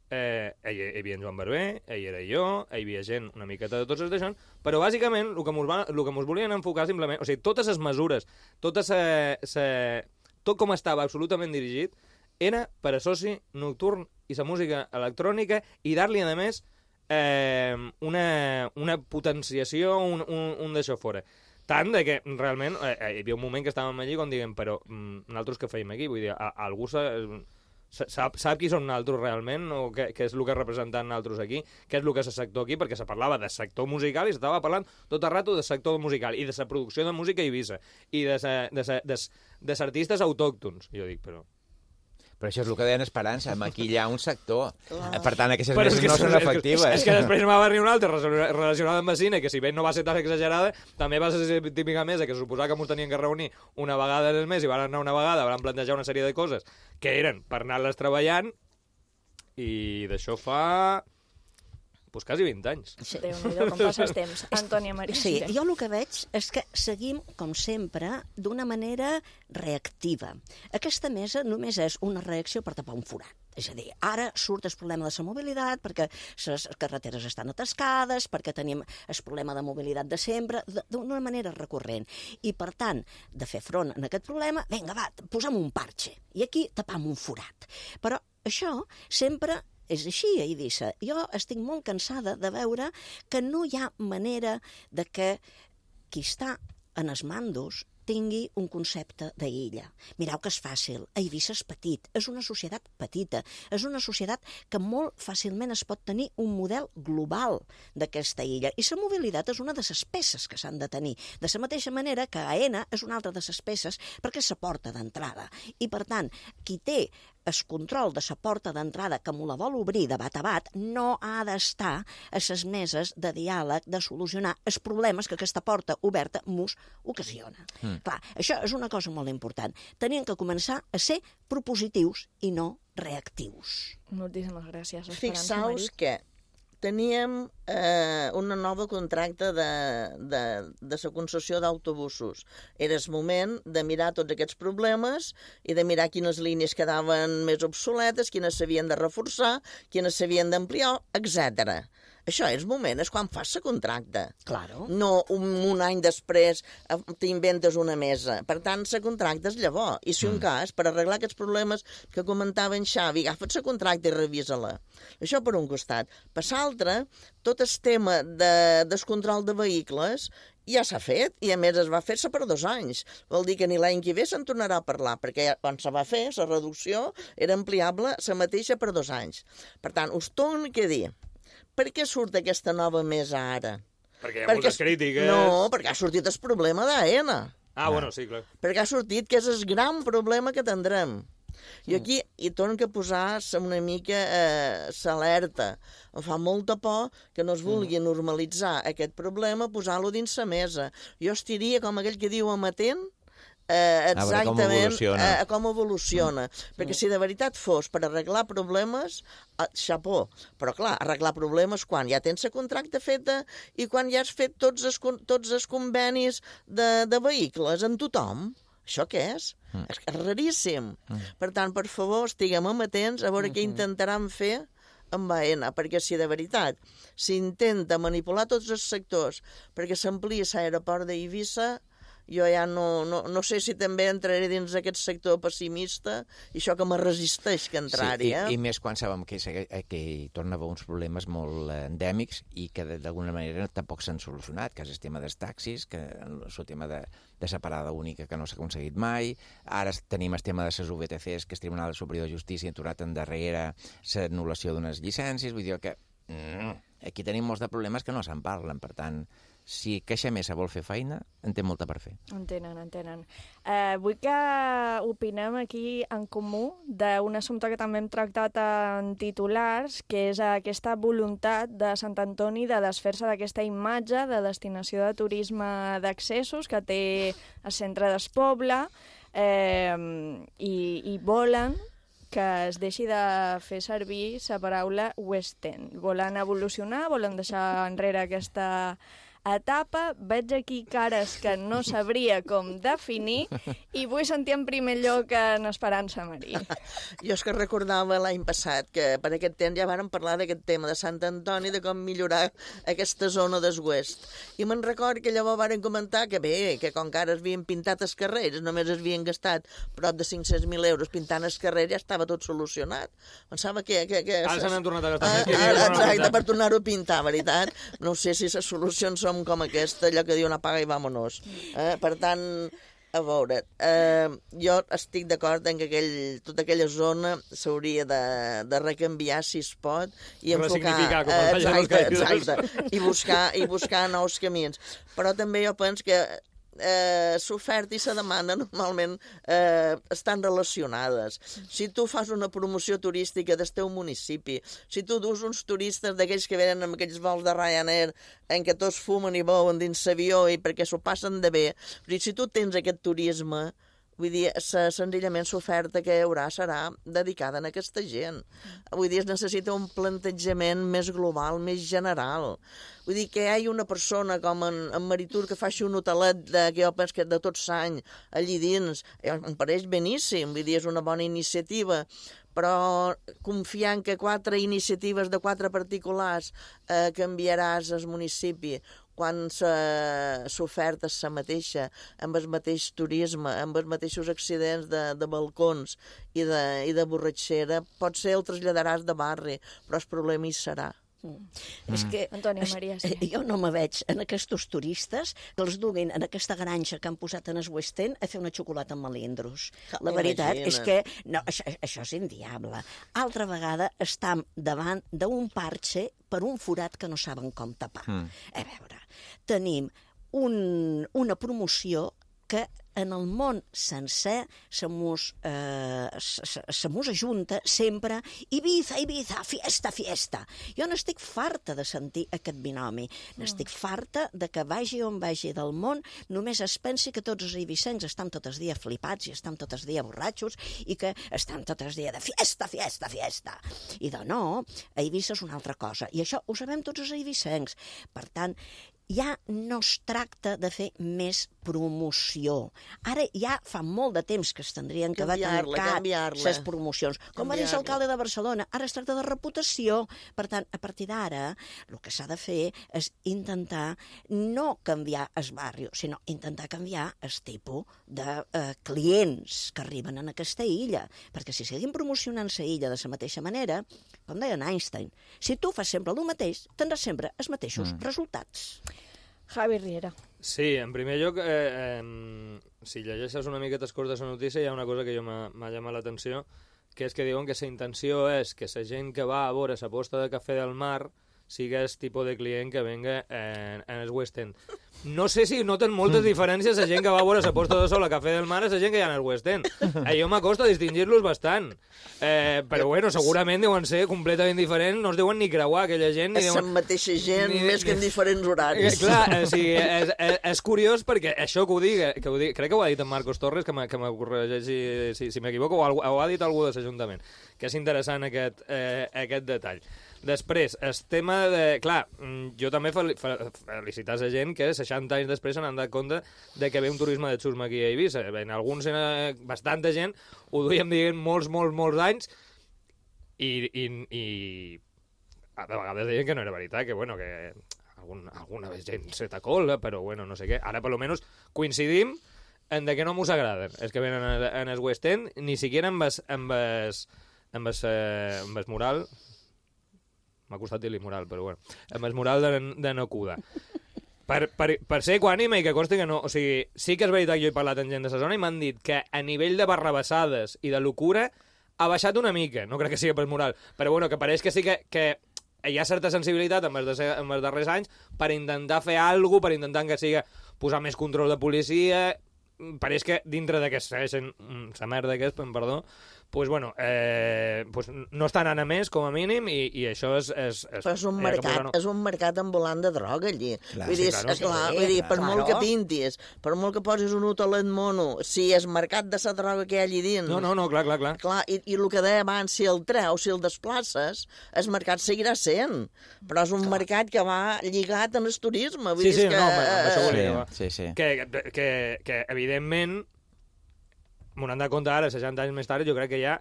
hi havia en Joan Barber, hi era jo, hi havia gent una miqueta de tots els d'això, però bàsicament el que mos volien enfocar simplement, o sigui, totes les mesures, tot com estava absolutament dirigit, era per a soci nocturn i la música electrònica i dar-li, a més, una potenciació, un d'això fora. Tant de que realment hi havia un moment que estàvem allí com diguem, però nosaltres què feim aquí? Vull dir, algú sap qui són nosaltres realment o què és el que representem nosaltres aquí, què és el que és el sector aquí, perquè se parlava de sector musical i s'estava parlant tot el rato de sector musical i de la producció de música a Eivissa i de artistes autòctons. Jo dic, però això és el que deien Esperança, maquillar un sector. Per tant, aquestes meses no són efectives. És que després va venir una altra relacionada amb el cine, que si bé no va ser tan exagerada, també va ser la típica mesa que suposava que ens tenien que reunir una vegada al mes i van anar una vegada, van plantejar una sèrie de coses que eren per anar-les treballant i d'això fa quasi 20 anys. Sí. Déu-n'hi-do, com passa el temps. Antònia Maria. Sí, jo el que veig és que seguim, com sempre, d'una manera reactiva. Aquesta mesa només és una reacció per tapar un forat. És a dir, ara surt el problema de la mobilitat, perquè les carreteres estan atascades, perquè tenim el problema de mobilitat de sempre, d'una manera recurrent. I, per tant, de fer front a aquest problema, vinga, va, posem un parxe. I aquí tapam un forat. Però això sempre és així, a Eivissa. Jo estic molt cansada de veure que no hi ha manera de que qui està en els mandos tingui un concepte d'illa. Mireu que és fàcil. Eivissa és petit, és una societat petita, és una societat que molt fàcilment es pot tenir un model global d'aquesta illa. I la mobilitat és una de les peces que s'han de tenir. De la mateixa manera que AENA és una altra de les peces perquè és la porta d'entrada. I, per tant, qui té el control de la porta d'entrada que m'ho la vol obrir de bat a bat no ha d'estar a les meses de diàleg, de solucionar els problemes que aquesta porta oberta mos ocasiona. Clar, això és una cosa molt important. Tenien que començar a ser propositius i no reactius. Moltíssimes gràcies, Esperança. Fixaus que teníem una nova contracte de la concessió d'autobusos. Era el moment de mirar tots aquests problemes i de mirar quines línies quedaven més obsoletes, quines s'havien de reforçar, quines s'havien d'ampliar, etc. Això és moment, és quan fas la contracte. Claro. No un any després t'inventes una mesa. Per tant, la contracta és llavors. I si un cas, per arreglar aquests problemes que comentava en Xavi, agafa't la contracta i revisa-la. Això per un costat. Per l'altre, tot el tema del control de vehicles ja s'ha fet, i a més es va fer-se per 2 anys. Vol dir que ni l'any que ve se'n tornarà a parlar, perquè quan se va fer, la reducció era ampliable la mateixa per 2 anys. Per tant, us torno a dir, per què surt aquesta nova mesa ara? Perquè hi ha moltes crítiques. No, perquè ha sortit el problema d'AENA. Bueno, sí, clar. Perquè ha sortit que és el gran problema que tindrem. I aquí hi torno a posar una mica l'alerta. Em fa molta por que no es vulgui normalitzar aquest problema, posar-lo dins la mesa. Jo estiria, com aquell que diu, amatent exactament a com evoluciona. Perquè si de veritat fos per arreglar problemes, xapó. Però clar, arreglar problemes quan ja tens la contracte feta i quan ja has fet tots els convenis de vehicles en tothom. Això què és? És raríssim. Per tant, per favor, estiguem amatents a veure què intentaran fer amb AENA, perquè si de veritat s'intenta manipular tots els sectors perquè s'ampliï l'aeroport d'Eivissa, jo ja no sé si també entraré dins aquest sector pessimista i això que me resisteix que entrar-hi. I més quan sabem que hi torna a haver uns problemes molt endèmics i que d'alguna manera tampoc s'han solucionat, que és el tema dels taxis, que el tema de separada única que no s'ha aconseguit mai, ara tenim el tema de les VTCs, que el Tribunal Superior de Justícia ha aturat endarrere l'anul·lació d'unes llicències, vull dir que aquí tenim molts de problemes que no se'n parlen, per tant, si Caixa Mesa vol fer feina, en té molta per fer. Entenen. Vull que opinem aquí en comú d'un assumpte que també hem tractat en titulars, que és aquesta voluntat de Sant Antoni de desfer-se d'aquesta imatge de destinació de turisme d'accessos que té el centre del poble i volen que es deixi de fer servir la paraula West End. Volen evolucionar, volen deixar enrere aquesta etapa. Veig aquí cares que no sabria com definir i vull sentir en primer lloc en Esperança Marí. Jo és que recordava l'any passat que per aquest temps ja vàrem parlar d'aquest tema de Sant Antoni, de com millorar aquesta zona del West. I me'n record que llavors varen comentar que bé, que com que ara es havien pintat els carrers, només es havien gastat prop de 500.000 euros pintant els carrers, ja estava tot solucionat. Pensava que ara se n'han tornat a gastar més. Exacte, per tornar-ho a pintar, veritat. No sé si les solucions són com aquesta, allò que diu una paga i vámonos. Per tant, a veure, jo estic d'acord en que tota aquella zona s'hauria de recanviar, si es pot, i enfocar... Exacte, i buscar nous camins. Però també jo penso que l'oferta i la demanda normalment estan relacionades. Si tu fas una promoció turística del teu municipi, si tu dus uns turistes d'aquells que venen amb aquells vols de Ryanair en què tots fumen i beuen dins l'avió i perquè s'ho passen de bé, si tu tens aquest turisme, vull dir, senzillament l'oferta que hi haurà serà dedicada a aquesta gent. Vull dir, es necessita un plantejament més global, més general. Vull dir, que hi hagi una persona com en Maritur que faci un hotelet que jo penso que de tot l'any allí dins, em pareix beníssim, vull dir, és una bona iniciativa, però confiant que 4 iniciatives de 4 particulars canviaràs el municipi quan l'oferta és la mateixa, amb el mateix turisme, amb els mateixos accidents de balcons i de borratxera, potser el traslladaràs de barri, però el problema hi serà. És que Antònia Maria, sí. Jo no me veig en aquests turistes que els duguin en aquesta granja que han posat en el West End a fer una xocolata amb melindros. La veritat és que no, això és inviable. Altra vegada estam davant d'un parxe per un forat que no saben com tapar. A veure, tenim una promoció que en el món sencer se mos ajunta sempre Ibiza, fiesta. Jo n'estic farta de sentir aquest binomi. N'estic farta de que vagi on vagi del món només es pensi que tots els ibicencs estan tot el dia flipats i estan tot el dia borratxos i que estan tot el dia de fiesta. I de no, a Ibiza és una altra cosa. I això ho sabem tots els ibicencs. Per tant, ja no es tracta de fer més promoció. Ara ja fa molt de temps que es tindrien que haver tancat les promocions. Com va dir l'alcalde de Barcelona, ara es tracta de reputació. Per tant, a partir d'ara, el que s'ha de fer és intentar no canviar el barri, sinó intentar canviar el tipus de clients que arriben a aquesta illa. Perquè si seguim promocionant la illa de la mateixa manera, com deia Einstein, si tu fas sempre el mateix, tindràs sempre els mateixos resultats. Javi Riera. Sí, en primer lloc, si llegeixes una miqueta escurs de la notícia, hi ha una cosa que jo m'ha llamat l'atenció, que és que diuen que la intenció és que la gent que va a veure la posta de cafè del mar sigui el tipus de client que venga en el West End. No sé si noten moltes diferències la gent que va a veure la posta de sol a Cafè del Mar i la gent que hi ha en el West End. Jo m'acosta a distingir-los bastant. Però bueno, segurament deuen ser completament diferents, no es deuen ni creuar aquella gent. És la mateixa gent, més que en diferents horaris. Clar, és curiós perquè això que ho digui, crec que ho ha dit en Marcos Torres, que m'ho corregeixi si m'equivoco, o ho ha dit algú de l'Ajuntament, que és interessant aquest detall. Després, el tema de... Clar, jo també felicitar la gent que 60 anys després s'han donat compte de que ve un turisme de xusma aquí a Eivissa. En alguns, bastanta gent, ho duíem dient molts anys i a vegades deien que no era veritat, que bueno, que alguna gent se t'acola, però bueno, no sé què. Ara, per lo menos, coincidim en de que no mos agraden. És que venen en el West End, ni siquiera amb es mural... M'ha costat dir-li moral, però bueno. Amb el mural de Nokuda. Per ser equànime i que consti que no... O sigui, sí que és veritat que jo he parlat amb gent de la zona i m'han dit que a nivell de barrabassades i de locura ha baixat una mica. No crec que sigui per moral. Però bueno, que pareix que sí que hi ha certa sensibilitat en els darrers anys per intentar fer alguna cosa, per intentar que sigui posar més control de policia. Pareix que dintre de que segueixen la merda que és, perdó, pues bueno, pues no estan anant a més, com a mínim, i això és però és un mercat ambulant de droga, allí. Vull dir, per molt que pintis, per molt que posis un hotelet mono, si és mercat de la droga que hi ha allí dins... No, clar. I el que deia abans, si el treus, si el desplaces, el mercat seguirà sent. Però és un mercat que va lligat amb el turisme. Vull dir, això volia dir. Que evidentment, m'ho han de compte ara, 60 anys més tard, jo crec que ja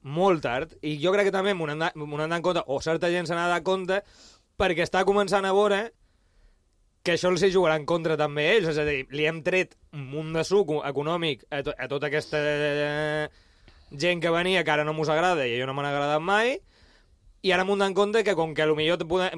molt tard, i jo crec que també m'ho han de compte, o certa gent se n'ha de compte, perquè està començant a veure que això els hi jugarà en contra també ells, és a dir, li hem tret un munt de suc econòmic a tota aquesta gent que venia, que ara no mos agrada, i a jo no m'han agradat mai, i ara m'ho han de compte que com que potser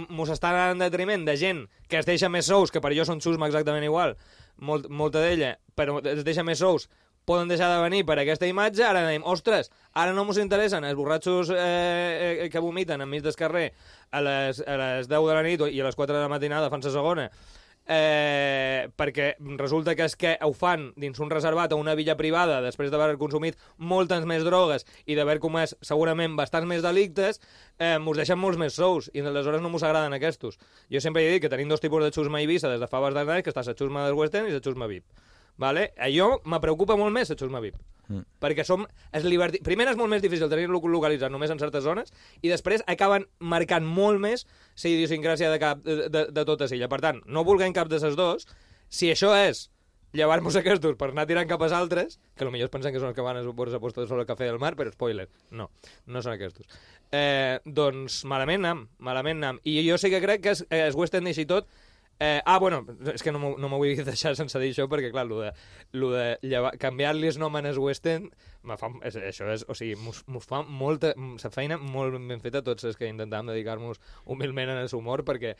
mos estan en detriment de gent que es deixa més sous, que per jo són xusma exactament igual, molta d'ella, però es deixa més sous, poden deixar de venir per aquesta imatge, ara dèiem, ostres, ara no mos interessen els borratxos que vomiten enmig del carrer a les 10 de la nit i a les 4 de la matinada fan la segona, perquè resulta que és que ho fan dins un reservat a una villa privada després d'haver consumit moltes més drogues i d'haver comès segurament bastants més delictes, mos deixen molts més sous i aleshores no mos agraden aquests. Jo sempre he dit que tenim dos tipus de xusma a Eivissa des de fa bastants anys, que està la xusma del West End i la xusma VIP. Vale? Allò me preocupa molt més la xusma VIP, perquè primer és molt més difícil tenir-lo localitzat només en certes zones i després acaben marcant molt més la idiosincràsia de tota l'illa. Per tant, no vulguem cap de les dos. Si això és llevar-nos aquests per anar tirant cap als altres, que potser es pensen que són els que van a la posta de sol al Cafè del Mar, però spoiler, no són aquests. Doncs malament nam. I jo sí que crec que el West End i tot... bueno, és que no m'ho vull deixar sense dir això, perquè clar, lo de canviar-li el nom en el West End, això és, o sigui, mos fa molta feina molt ben feta tots els que intentàvem dedicar-nos humilment en el humor, perquè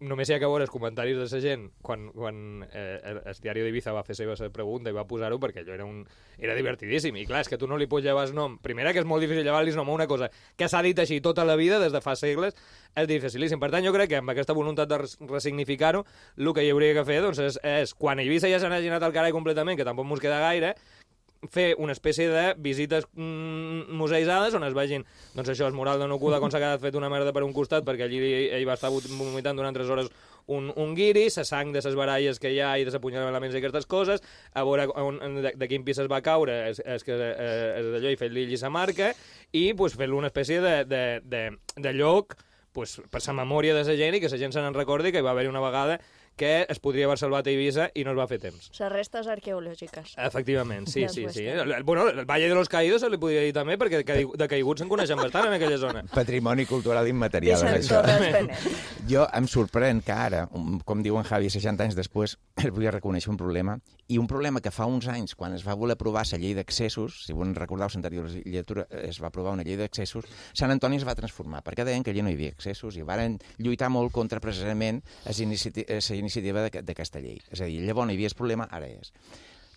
només hi ha que veure els comentaris de la gent quan el diari d'Ibiza va fer seva pregunta i va posar-ho, perquè allò era divertidíssim. I clar, és que tu no li pots llevar el nom. Primera, que és molt difícil llevar-li el nom a una cosa que s'ha dit així tota la vida, des de fa segles, és dificilíssim. Per tant, jo crec que amb aquesta voluntat de resignificar-ho, el que hi hauria que fer doncs, és quan a Eivissa ja s'han aginat al carai completament, que tampoc mos queda gaire, fer una espècie de visites museïtzades on es vegin, doncs això, el mural de Nokuda, com s'ha quedat fet una merda per un costat, perquè allí ell va estar vomitant durant 3 hores un guiri, la sang de les baralles que hi ha i de l'apunyalament i aquestes coses, a veure de quin pis es va caure, és d'allò, i fer-li la marca, i pues, fer-li una espècie de lloc pues, per la memòria de la gent i que la gent se n'en recordi que hi va haver una vegada que es podria haver salvat a Eivissa i no es va fer temps. Les restes arqueològiques. Efectivament, sí. Bueno, el Valle de los Caídos se li podria dir també, perquè de caiguts se'n coneixen bastant en aquella zona. Patrimoni cultural immaterial. Jo em sorprèn que ara, com diu en Javi, 60 anys després, es volia reconèixer un problema, i un problema que fa uns anys, quan es va voler aprovar la llei d'accessos, si vos recordeu l'anterior legislatura, es va aprovar una llei d'accessos, Sant Antoni es va transformar, perquè deien que allà no hi havia accessos, i varen lluitar molt contra precisament la iniciativa d'aquesta llei. És a dir, llavors no hi havia el problema, ara és.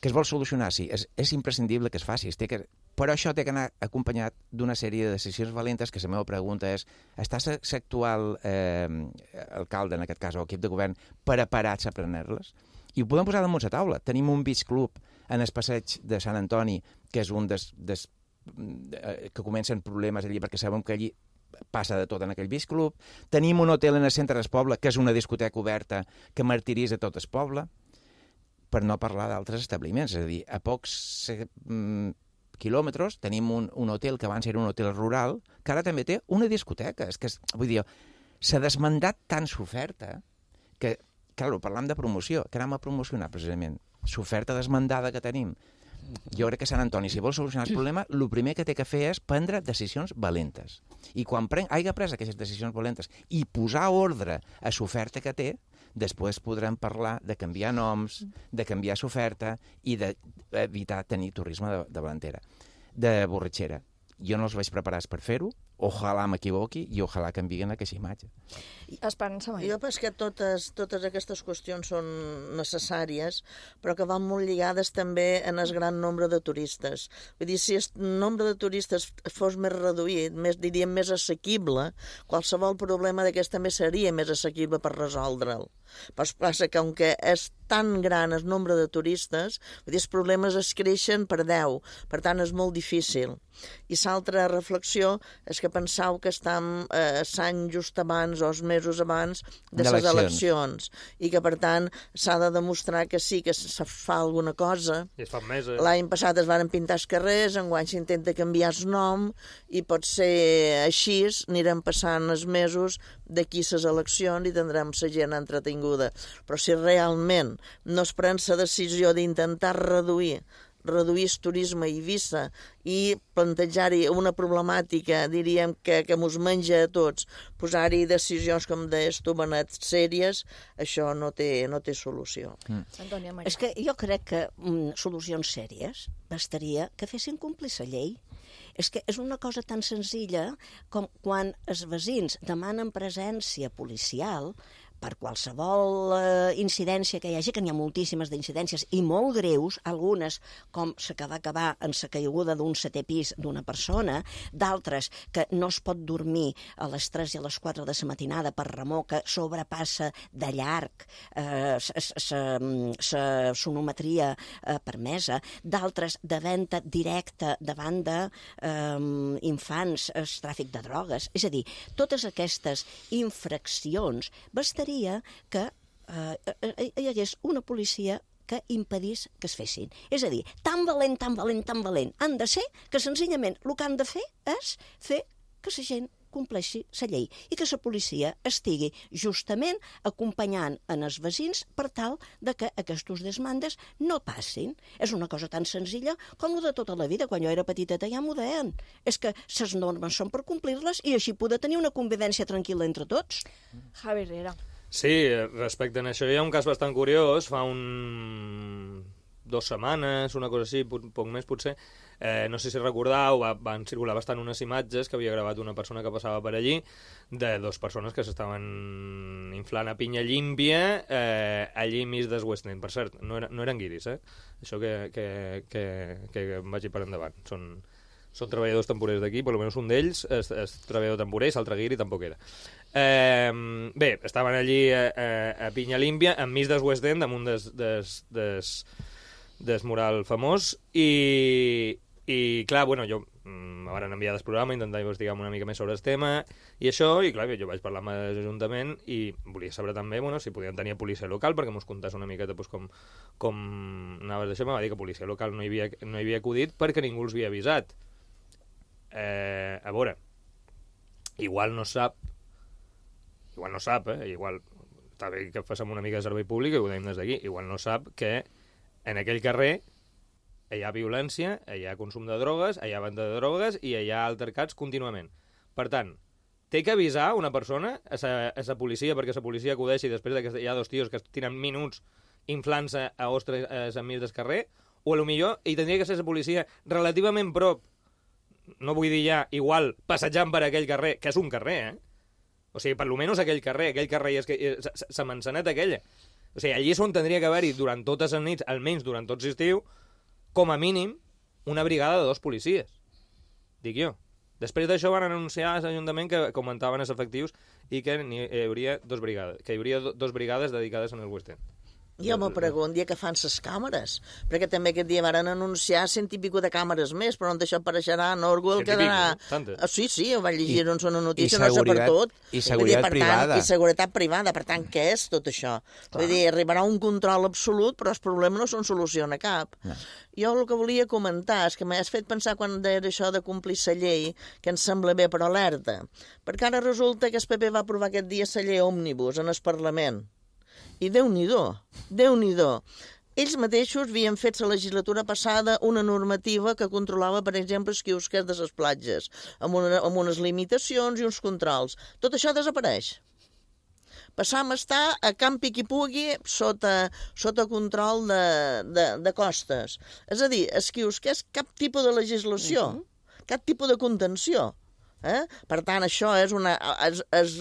Que es vol solucionar, sí, és imprescindible que es faci, però això té que anar acompanyat d'una sèrie de decisions valentes, que la meva pregunta és, està l'actual alcalde, en aquest cas, o equip de govern, preparats a prendre-les? I ho podem posar damunt la taula. Tenim un beach club en el passeig de Sant Antoni, que és un que comencen problemes allí, perquè sabem que allí passa de tot en aquell beach club. Tenim un hotel en el centre del poble, que és una discoteca oberta que martiritza tot el poble, per no parlar d'altres establiments. És a dir, a pocs quilòmetres tenim un hotel que abans era un hotel rural, que ara també té una discoteca. És que, vull dir, s'ha desmandat tant l'oferta que, clar, parlam de promoció, que anem a promocionar precisament l'oferta desmandada que tenim Jo crec que Sant Antoni, si vol solucionar el problema, el primer que té que fer és prendre decisions valentes. I quan hagi pres aquestes decisions valentes i posar ordre a l'oferta que té, després podrem parlar de canviar noms, de canviar l'oferta i d'evitar tenir turisme de borratxera. Jo no els vaig preparats per fer-ho, ojalà m'equivoqui i ojalà canviïn aquesta imatge. Esperança, mai. Jo penso que totes aquestes qüestions són necessàries, però que van molt lligades també en el gran nombre de turistes. Vull dir, si el nombre de turistes fos més reduït, diríem més assequible, qualsevol problema d'aquest també seria més assequible per resoldre'l. Però passa que, com que és tan gran el nombre de turistes, vull dir, els problemes es creixen per 10, per tant és molt difícil. I l'altra reflexió és que pensau que estem l'any just abans o els mesos abans de les eleccions i que, per tant, s'ha de demostrar que sí que se fa alguna cosa. I es fan meses. L'any passat es van pintar els carrers, enguany s'intenta canviar el nom i pot ser així, anirem passant els mesos d'aquí les eleccions i tindrem la gent entretinguda. Però si realment no es pren la decisió d'intentar reduir el turisme a Eivissa i plantejar-hi una problemàtica, diríem, que mos menja a tots, posar-hi decisions, com deies tu, Benet, sèries, això no té solució. Antònia Maria. És que jo crec que solucions sèries bastaria que fessin complir la llei. És que és una cosa tan senzilla com quan els veïns demanen presència policial per qualsevol incidència que hi hagi, que n'hi ha moltíssimes d'incidències i molt greus, algunes com la que va acabar en la caiguda d'un 7è pis d'una persona, d'altres que no es pot dormir a les 3 i a les 4 de la matinada per remor que sobrepassa de llarg la sonometria permesa, d'altres de venda directa davant d'infants, el tràfic de drogues. És a dir, totes aquestes infraccions bastaria que hi hagués una policia que impedís que es fessin. És a dir, tan valent han de ser que senzillament el que han de fer és fer que la gent compleixi la llei i que la policia estigui justament acompanyant en els veïns per tal de que aquestes desmandes no passin. És una cosa tan senzilla com de tota la vida. Quan jo era petiteta ja m'ho deien. És que les normes són per complir-les i així poder tenir una convivència tranquil·la entre tots. Javi Herrera. Sí, respecte a això hi ha un cas bastant curiós, fa 2 setmanes, una cosa així, poc més potser, no sé si recordeu, van circular bastant unes imatges que havia gravat una persona que passava per allí, de 2 persones que s'estaven inflant a pinya llímpia allí mig del West End. Per cert, no eren guiris, això que em vagi per endavant. Són treballadors temporers d'aquí, per almenys un d'ells és treballador temporer, l'altre guiri tampoc era. Bé, estaven allí a pinya límpia, enmig del West End, damunt des mural famós, i clar, bueno, jo me van enviar del programa, intentar investigar una mica més sobre el tema, i això, i clar, jo vaig parlar amb l'Ajuntament i volia saber també, bueno, si podien tenir policia local, perquè mos contàs una miqueta pues, com anaves d'això. Me va dir que policia local no hi havia acudit perquè ningú els havia avisat. A veure, igual no sap, igual està bé que facem una mica de servei públic i ho deim des d'aquí, igual no sap que en aquell carrer hi ha violència, hi ha consum de drogues, hi ha venda de drogues i hi ha altercats contínuament. Per tant, té que avisar una persona a la policia perquè la policia acudeixi després que hi ha 2 tios que tenen minuts inflant-se a ostres enmig del carrer, o potser hi tindria que ser la policia relativament prop, no vull dir ja, igual, passejant per aquell carrer, que és un carrer, O sigui, per almenys aquell carrer és la manzaneta aquella. O sigui, allí és on tindria que haver-hi durant totes les nits, almenys durant tot l'estiu, com a mínim, una brigada de 2 policies. Dic jo. Després d'això van anunciar a l'Ajuntament que augmentaven els efectius i que hi hauria 2 brigades, que hi hauria 2 brigades dedicades en el West End. Jo m'ho pregunto, dia que fan les càmeres, perquè també aquest dia van anunciar 100 i pico de càmeres més, però on això apareixerà, no Orwell quedarà... Sí, ho vaig llegir en una notícia, no sé per tot. I seguretat privada. I seguretat privada, per tant, què és tot això? Vull dir, arribarà un control absolut, però els problemes no se'n soluciona cap. Jo el que volia comentar és que m'has fet pensar quan deia això de complir la llei, que em sembla bé, però alerta, perquè ara resulta que el PP va aprovar aquest dia la llei òmnibus en el Parlament. I Déu-n'hi-do. ells mateixos havien fet la legislatura passada una normativa que controlava, per exemple, els quiosques de les platges, amb unes limitacions i uns controls. Tot això desapareix. Passam a estar a campi qui pugui sota control de costes. És a dir, els quiosques cap tipus de legislació, cap tipus de contenció. Per tant, això és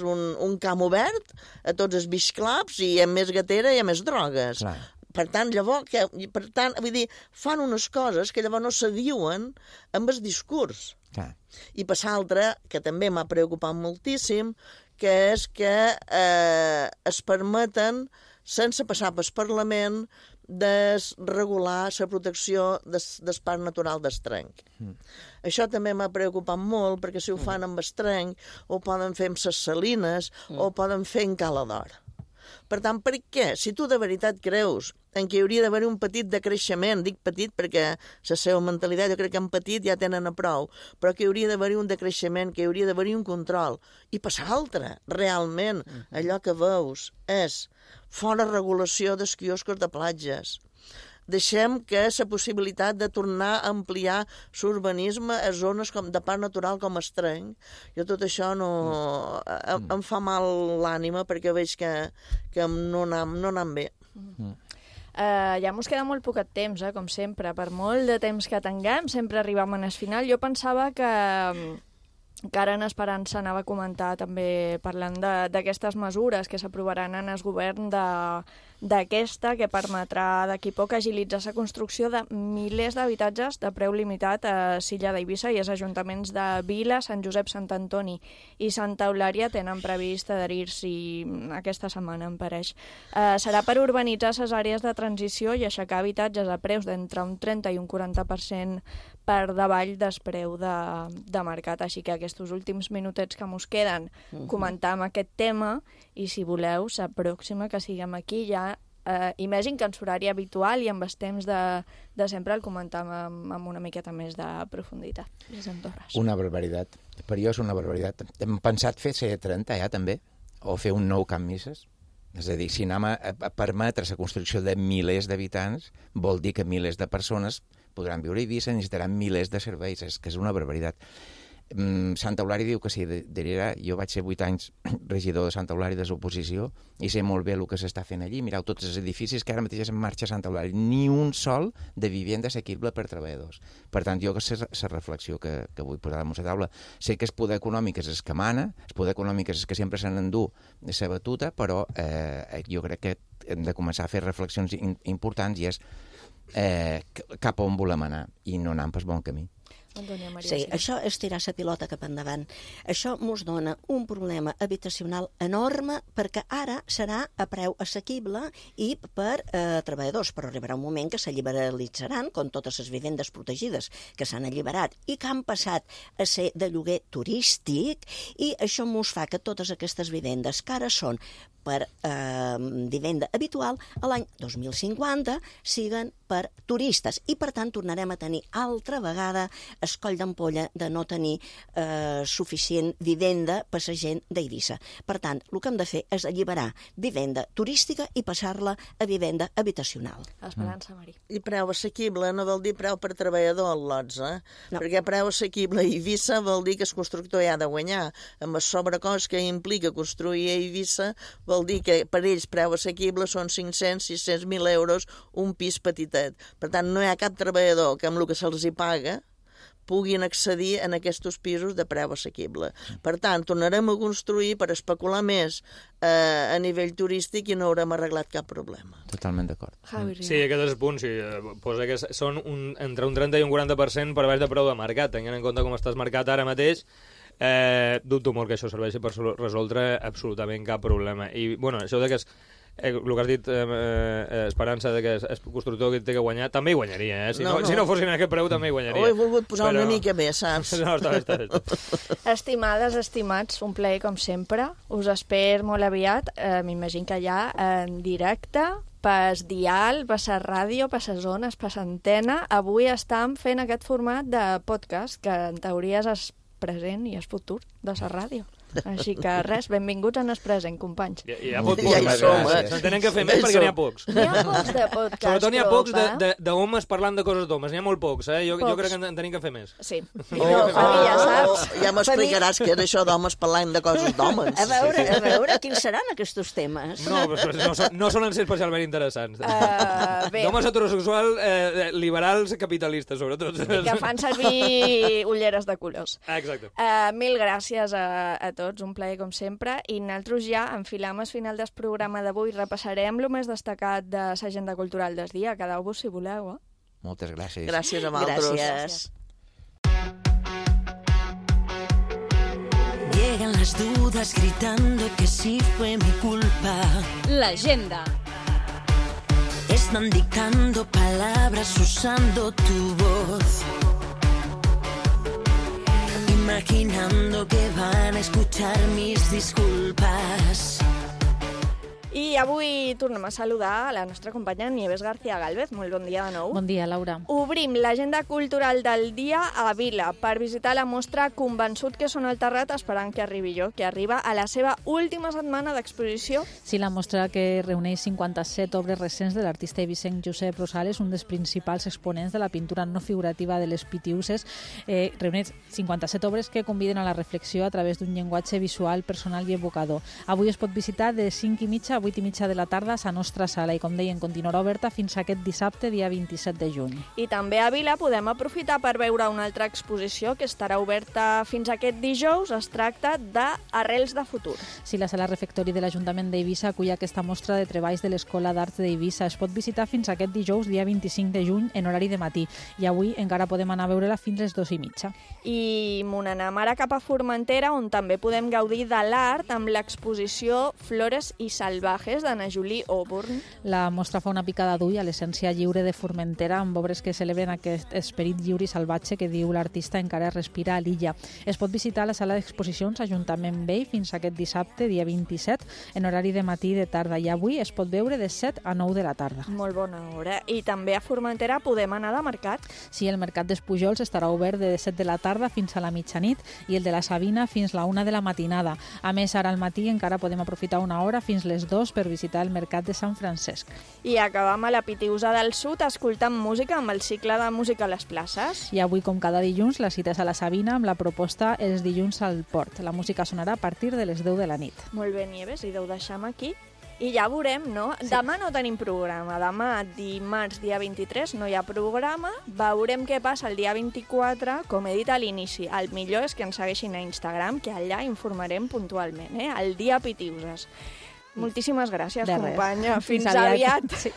un camp obert a tots els beach clubs i hi ha més gatera i hi ha més drogues. Clar. Per tant, llavors, vull dir, fan unes coses que llavors no se diuen amb el discurs. Clar. I per l'altre, que també m'ha preocupat moltíssim, que és que es permeten, sense passar pel Parlament, desregular la protecció del parc natural d'Estrenc. Això també m'ha preocupat molt, perquè si ho fan amb Estrenc, ho poden fer amb ses salines, o ho poden fer en Cala d'Or. Per tant, per què? Si tu de veritat creus en què hi hauria d'haver un petit decreixement, dic petit perquè la seva mentalitat, jo crec que en petit ja tenen a prou, però que hi hauria d'haver un decreixement, que hi hauria d'haver un control. I per l'altre, realment, allò que veus és fora regulació dels quioscos de platges. Deixem que la possibilitat de tornar a ampliar l'urbanisme a zones de parc natural com Estrenc. Jo tot això em fa mal l'ànima perquè veig que no anam bé. Ja mos queda molt poquet temps, com sempre. Per molt de temps que tinguem, sempre arribem al final. Jo pensava que ara en Esperança anava a comentar també parlant d'aquestes mesures que s'aprovaran en el govern d'aquesta, que permetrà d'aquí poc agilitzar la construcció de milers d'habitatges de preu limitat a Silla d'Eivissa, i els ajuntaments de Vila, Sant Josep, Sant Antoni i Santa Eulària tenen previst adherir-s'hi aquesta setmana, em pareix. Serà per urbanitzar les àrees de transició i aixecar habitatges a preus d'entre un 30 i un 40% per davall del preu de mercat. Així que aquests últims minutets que mos queden comentam aquest tema, i si voleu, la pròxima que siguem aquí ja, i més en horari habitual i amb els temps de sempre, el comentam amb una miqueta més de profunditat. Una barbaritat. Per jo és una barbaritat. Hem pensat fer C30 ja també, o fer un nou Camp Misses. És a dir, si anem a permetre la construcció de milers d'habitants, vol dir que milers de persones podran viure a Eivissa, necessitaran milers de serveis, és que és una barbaritat. Santa Eulària diu que s'hi adherirà. Jo vaig ser 8 anys regidor de Santa Eulària de l'oposició i sé molt bé el que s'està fent allí. Mireu tots els edificis que ara mateix és en marxa a Santa Eulària. Ni un sol de vivenda assequible per treballadors. Per tant, jo que sé la reflexió que vull posar damunt la taula. Sé que el poder econòmic és el que mana, el poder econòmic és el que sempre se n'endú la batuta, però jo crec que hem de començar a fer reflexions importants i és cap on volem anar i no anar pel bon camí. Sí, això és tirar la pilota cap endavant. Això mos dona un problema habitacional enorme perquè ara serà a preu assequible i per treballadors, però arribarà un moment que se liberalitzaran, com totes les vivendes protegides que s'han alliberat i que han passat a ser de lloguer turístic, i això mos fa que totes aquestes vivendes que ara són per vivenda habitual, a l'any 2050 siguen per turistes, i per tant tornarem a tenir altra vegada el coll d'ampolla de no tenir suficient vivenda per la gent d'Eivissa. Per tant, el que hem de fer és alliberar vivenda turística i passar-la a vivenda habitacional. Esperança, Mari. I preu assequible no vol dir preu per treballador al lots, No. Perquè preu assequible a Eivissa vol dir que el constructor hi ha de guanyar. Amb el sobrecost que implica construir a Eivissa vol dir que per ells preu assequible són 500-600.000 euros un pis petitet. Per tant, no hi ha cap treballador que amb el que se'ls hi paga puguin accedir en aquests pisos de preu assequible. Per tant, tornarem a construir per especular més a nivell turístic i no haurem arreglat cap problema. Totalment d'acord. Sí, aquest és el punt. Sí, posa que són entre un 30 i un 40% per baix de preu de mercat. Tenint en compte com estàs marcat ara mateix, dubto molt que això serveixi per resoldre absolutament cap problema. I, bueno, això de que el que has dit, Esperança, de que el constructor que té que guanyar, també hi guanyaria, Si no fossin a aquest preu, també hi guanyaria. Ho he volgut posar una mica més, saps? No, està bé. Estimades, estimats, un plaer com sempre. Us espero molt aviat, m'imagino que ja en directe, pas dial, pas a ràdio, pas a zones, pas a antena. Avui estem fent aquest format de podcast, que en teoria és el present i el futur de la ràdio. Així que res, benvinguts en el present, companys. Hi ha pocs podcasts. Se'n tenen que fer més perquè n'hi ha pocs. N'hi ha pocs de podcasts. Sobretot n'hi ha pocs d'homes parlant de coses d'homes. N'hi ha molt pocs, Jo crec que en tenim que fer més. Sí. Ja saps. Ja m'explicaràs què és això d'homes parlant de coses d'homes. A veure, quins seran aquests temes? No solen ser especialment interessants. D'homes heterosexuals, liberals, capitalistes, sobretot. Que fan servir ulleres de colors. Exacte. Mil gràcies a tots, un plaer com sempre, i nosaltres ja enfilam el final del programa d'avui, repassarem el més destacat de l'agenda cultural del dia. Quedeu-vos si voleu, Moltes gràcies. Gràcies a vosaltres. Gràcies. Llegan las dudas gritando que sí fue mi culpa. La agenda. Están dictando palabras usando tu voz. Imaginando que van a escuchar mis disculpas. I avui tornem a saludar a la nostra companya Nieves García Gálvez. Molt bon dia de nou. Bon dia, Laura. Obrim l'agenda cultural del dia a Vila per visitar la mostra Convençut que són el Terrat esperant que arribi jo, que arriba a la seva última setmana d'exposició. Sí, la mostra que reuneix 57 obres recents de l'artista eivissenc Josep Rosales, un dels principals exponents de la pintura no figurativa de les Pitiuses, reuneix 57 obres que conviden a la reflexió a través d'un llenguatge visual, personal i evocador. Avui es pot visitar de 5:30 a 8:30 de la tarda a la nostra sala i, com deien, continuarà oberta fins aquest dissabte, dia 27 de juny. I també a Vila podem aprofitar per veure una altra exposició que estarà oberta fins aquest dijous. Es tracta d'Arrels de futur. Sí, la sala refectori de l'Ajuntament d'Eivissa acull aquesta mostra de treballs de l'Escola d'Arts d'Eivissa. Es pot visitar fins aquest dijous, dia 25 de juny, en horari de matí. I avui encara podem anar a veure-la fins les 2:30. I m'ho n'anem ara cap a Formentera, on també podem gaudir de l'art amb l'exposició Flores i Salvajes d'Anna Julie Auburn. La mostra fa una picada d'ull a l'essència lliure de Formentera amb obres que celebren aquest esperit lliure i salvatge que diu l'artista encara respira a l'illa. Es pot visitar la sala d'exposicions Ajuntament Vell fins aquest dissabte, dia 27, en horari de matí i de tarda. I avui es pot veure de 7 a 9 de la tarda. Molt bona hora. I també a Formentera podem anar de mercat. Sí, el mercat dels Pujols estarà obert de 7 de la tarda fins a la mitjanit i el de la Sabina fins a la 1 de la matinada. A més, ara al matí encara podem aprofitar una hora fins les 2 per visitar el mercat de Sant Francesc. I acabam a la Pitiusa del Sud escoltant música amb el cicle de música a les places. I avui, com cada dilluns, la cita és a la Sabina amb la proposta Els dilluns al Port. La música sonarà a partir de les 10 de la nit. Molt bé, Nieves, i ho deixem aquí. I ja veurem, no? Sí. Demà no tenim programa. Demà, dimarts, dia 23, no hi ha programa. Veurem què passa el dia 24. Com he dit a l'inici, el millor és que ens segueixin a Instagram, que allà informarem puntualment, El dia Pitiuses. Moltíssimes gràcies, companya. Fins aviat. Sí.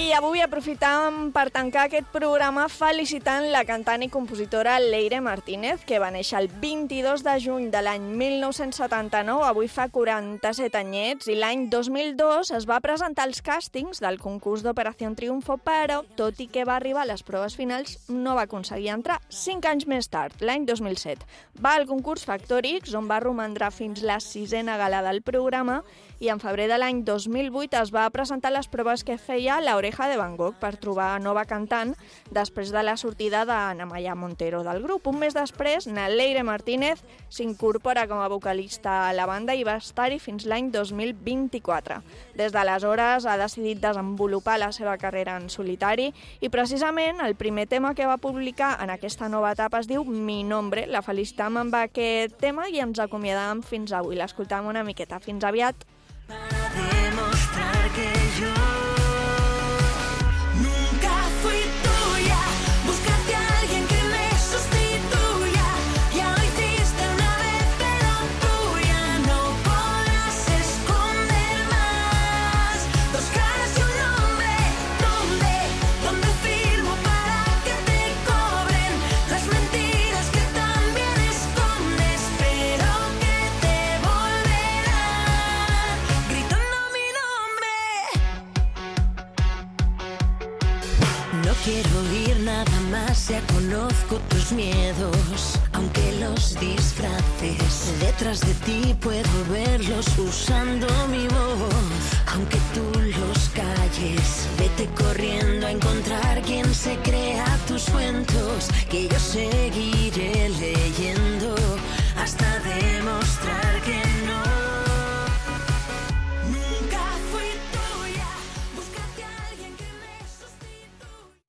I avui aprofitàvem per tancar aquest programa felicitant la cantant i compositora Leire Martínez, que va néixer el 22 de juny de l'any 1979, avui fa 47 anyets, i l'any 2002 es va presentar als càstings del concurs d'Operació Triunfo, però, tot i que va arribar a les proves finals, no va aconseguir entrar 5 anys més tard, l'any 2007. Va al concurs Factor X, on va romandre fins la 6a gala del programa, i en febrer de l'any 2008 es va presentar les proves que feia l'Oreja de Van Gogh per trobar nova cantant després de la sortida d'Ana Maya Montero del grup. Un mes després, Leire Martínez s'incorpora com a vocalista a la banda i va estar-hi fins l'any 2024. Des d'aleshores ha decidit desenvolupar la seva carrera en solitari i precisament el primer tema que va publicar en aquesta nova etapa es diu Mi Nombre. La felicitam amb aquest tema i ens acomiadam fins avui. L'escoltam una miqueta. Fins aviat. Para demostrar que yo nunca fui tuya, búscate a alguien que me sustituya. Ya lo hiciste una vez, pero tú ya no podrás esconder más. Dos caras y un nombre, ¿dónde firmo para que te cobren las mentiras que también escondes, pero que te volverán gritando mi nombre? No quiero oír nada más, ya conozco tus miedos, aunque lo los disfraces. Detrás de ti puedo verlos usando mi voz. Aunque tú los calles, vete corriendo a encontrar quien se crea tus cuentos, que yo seguiré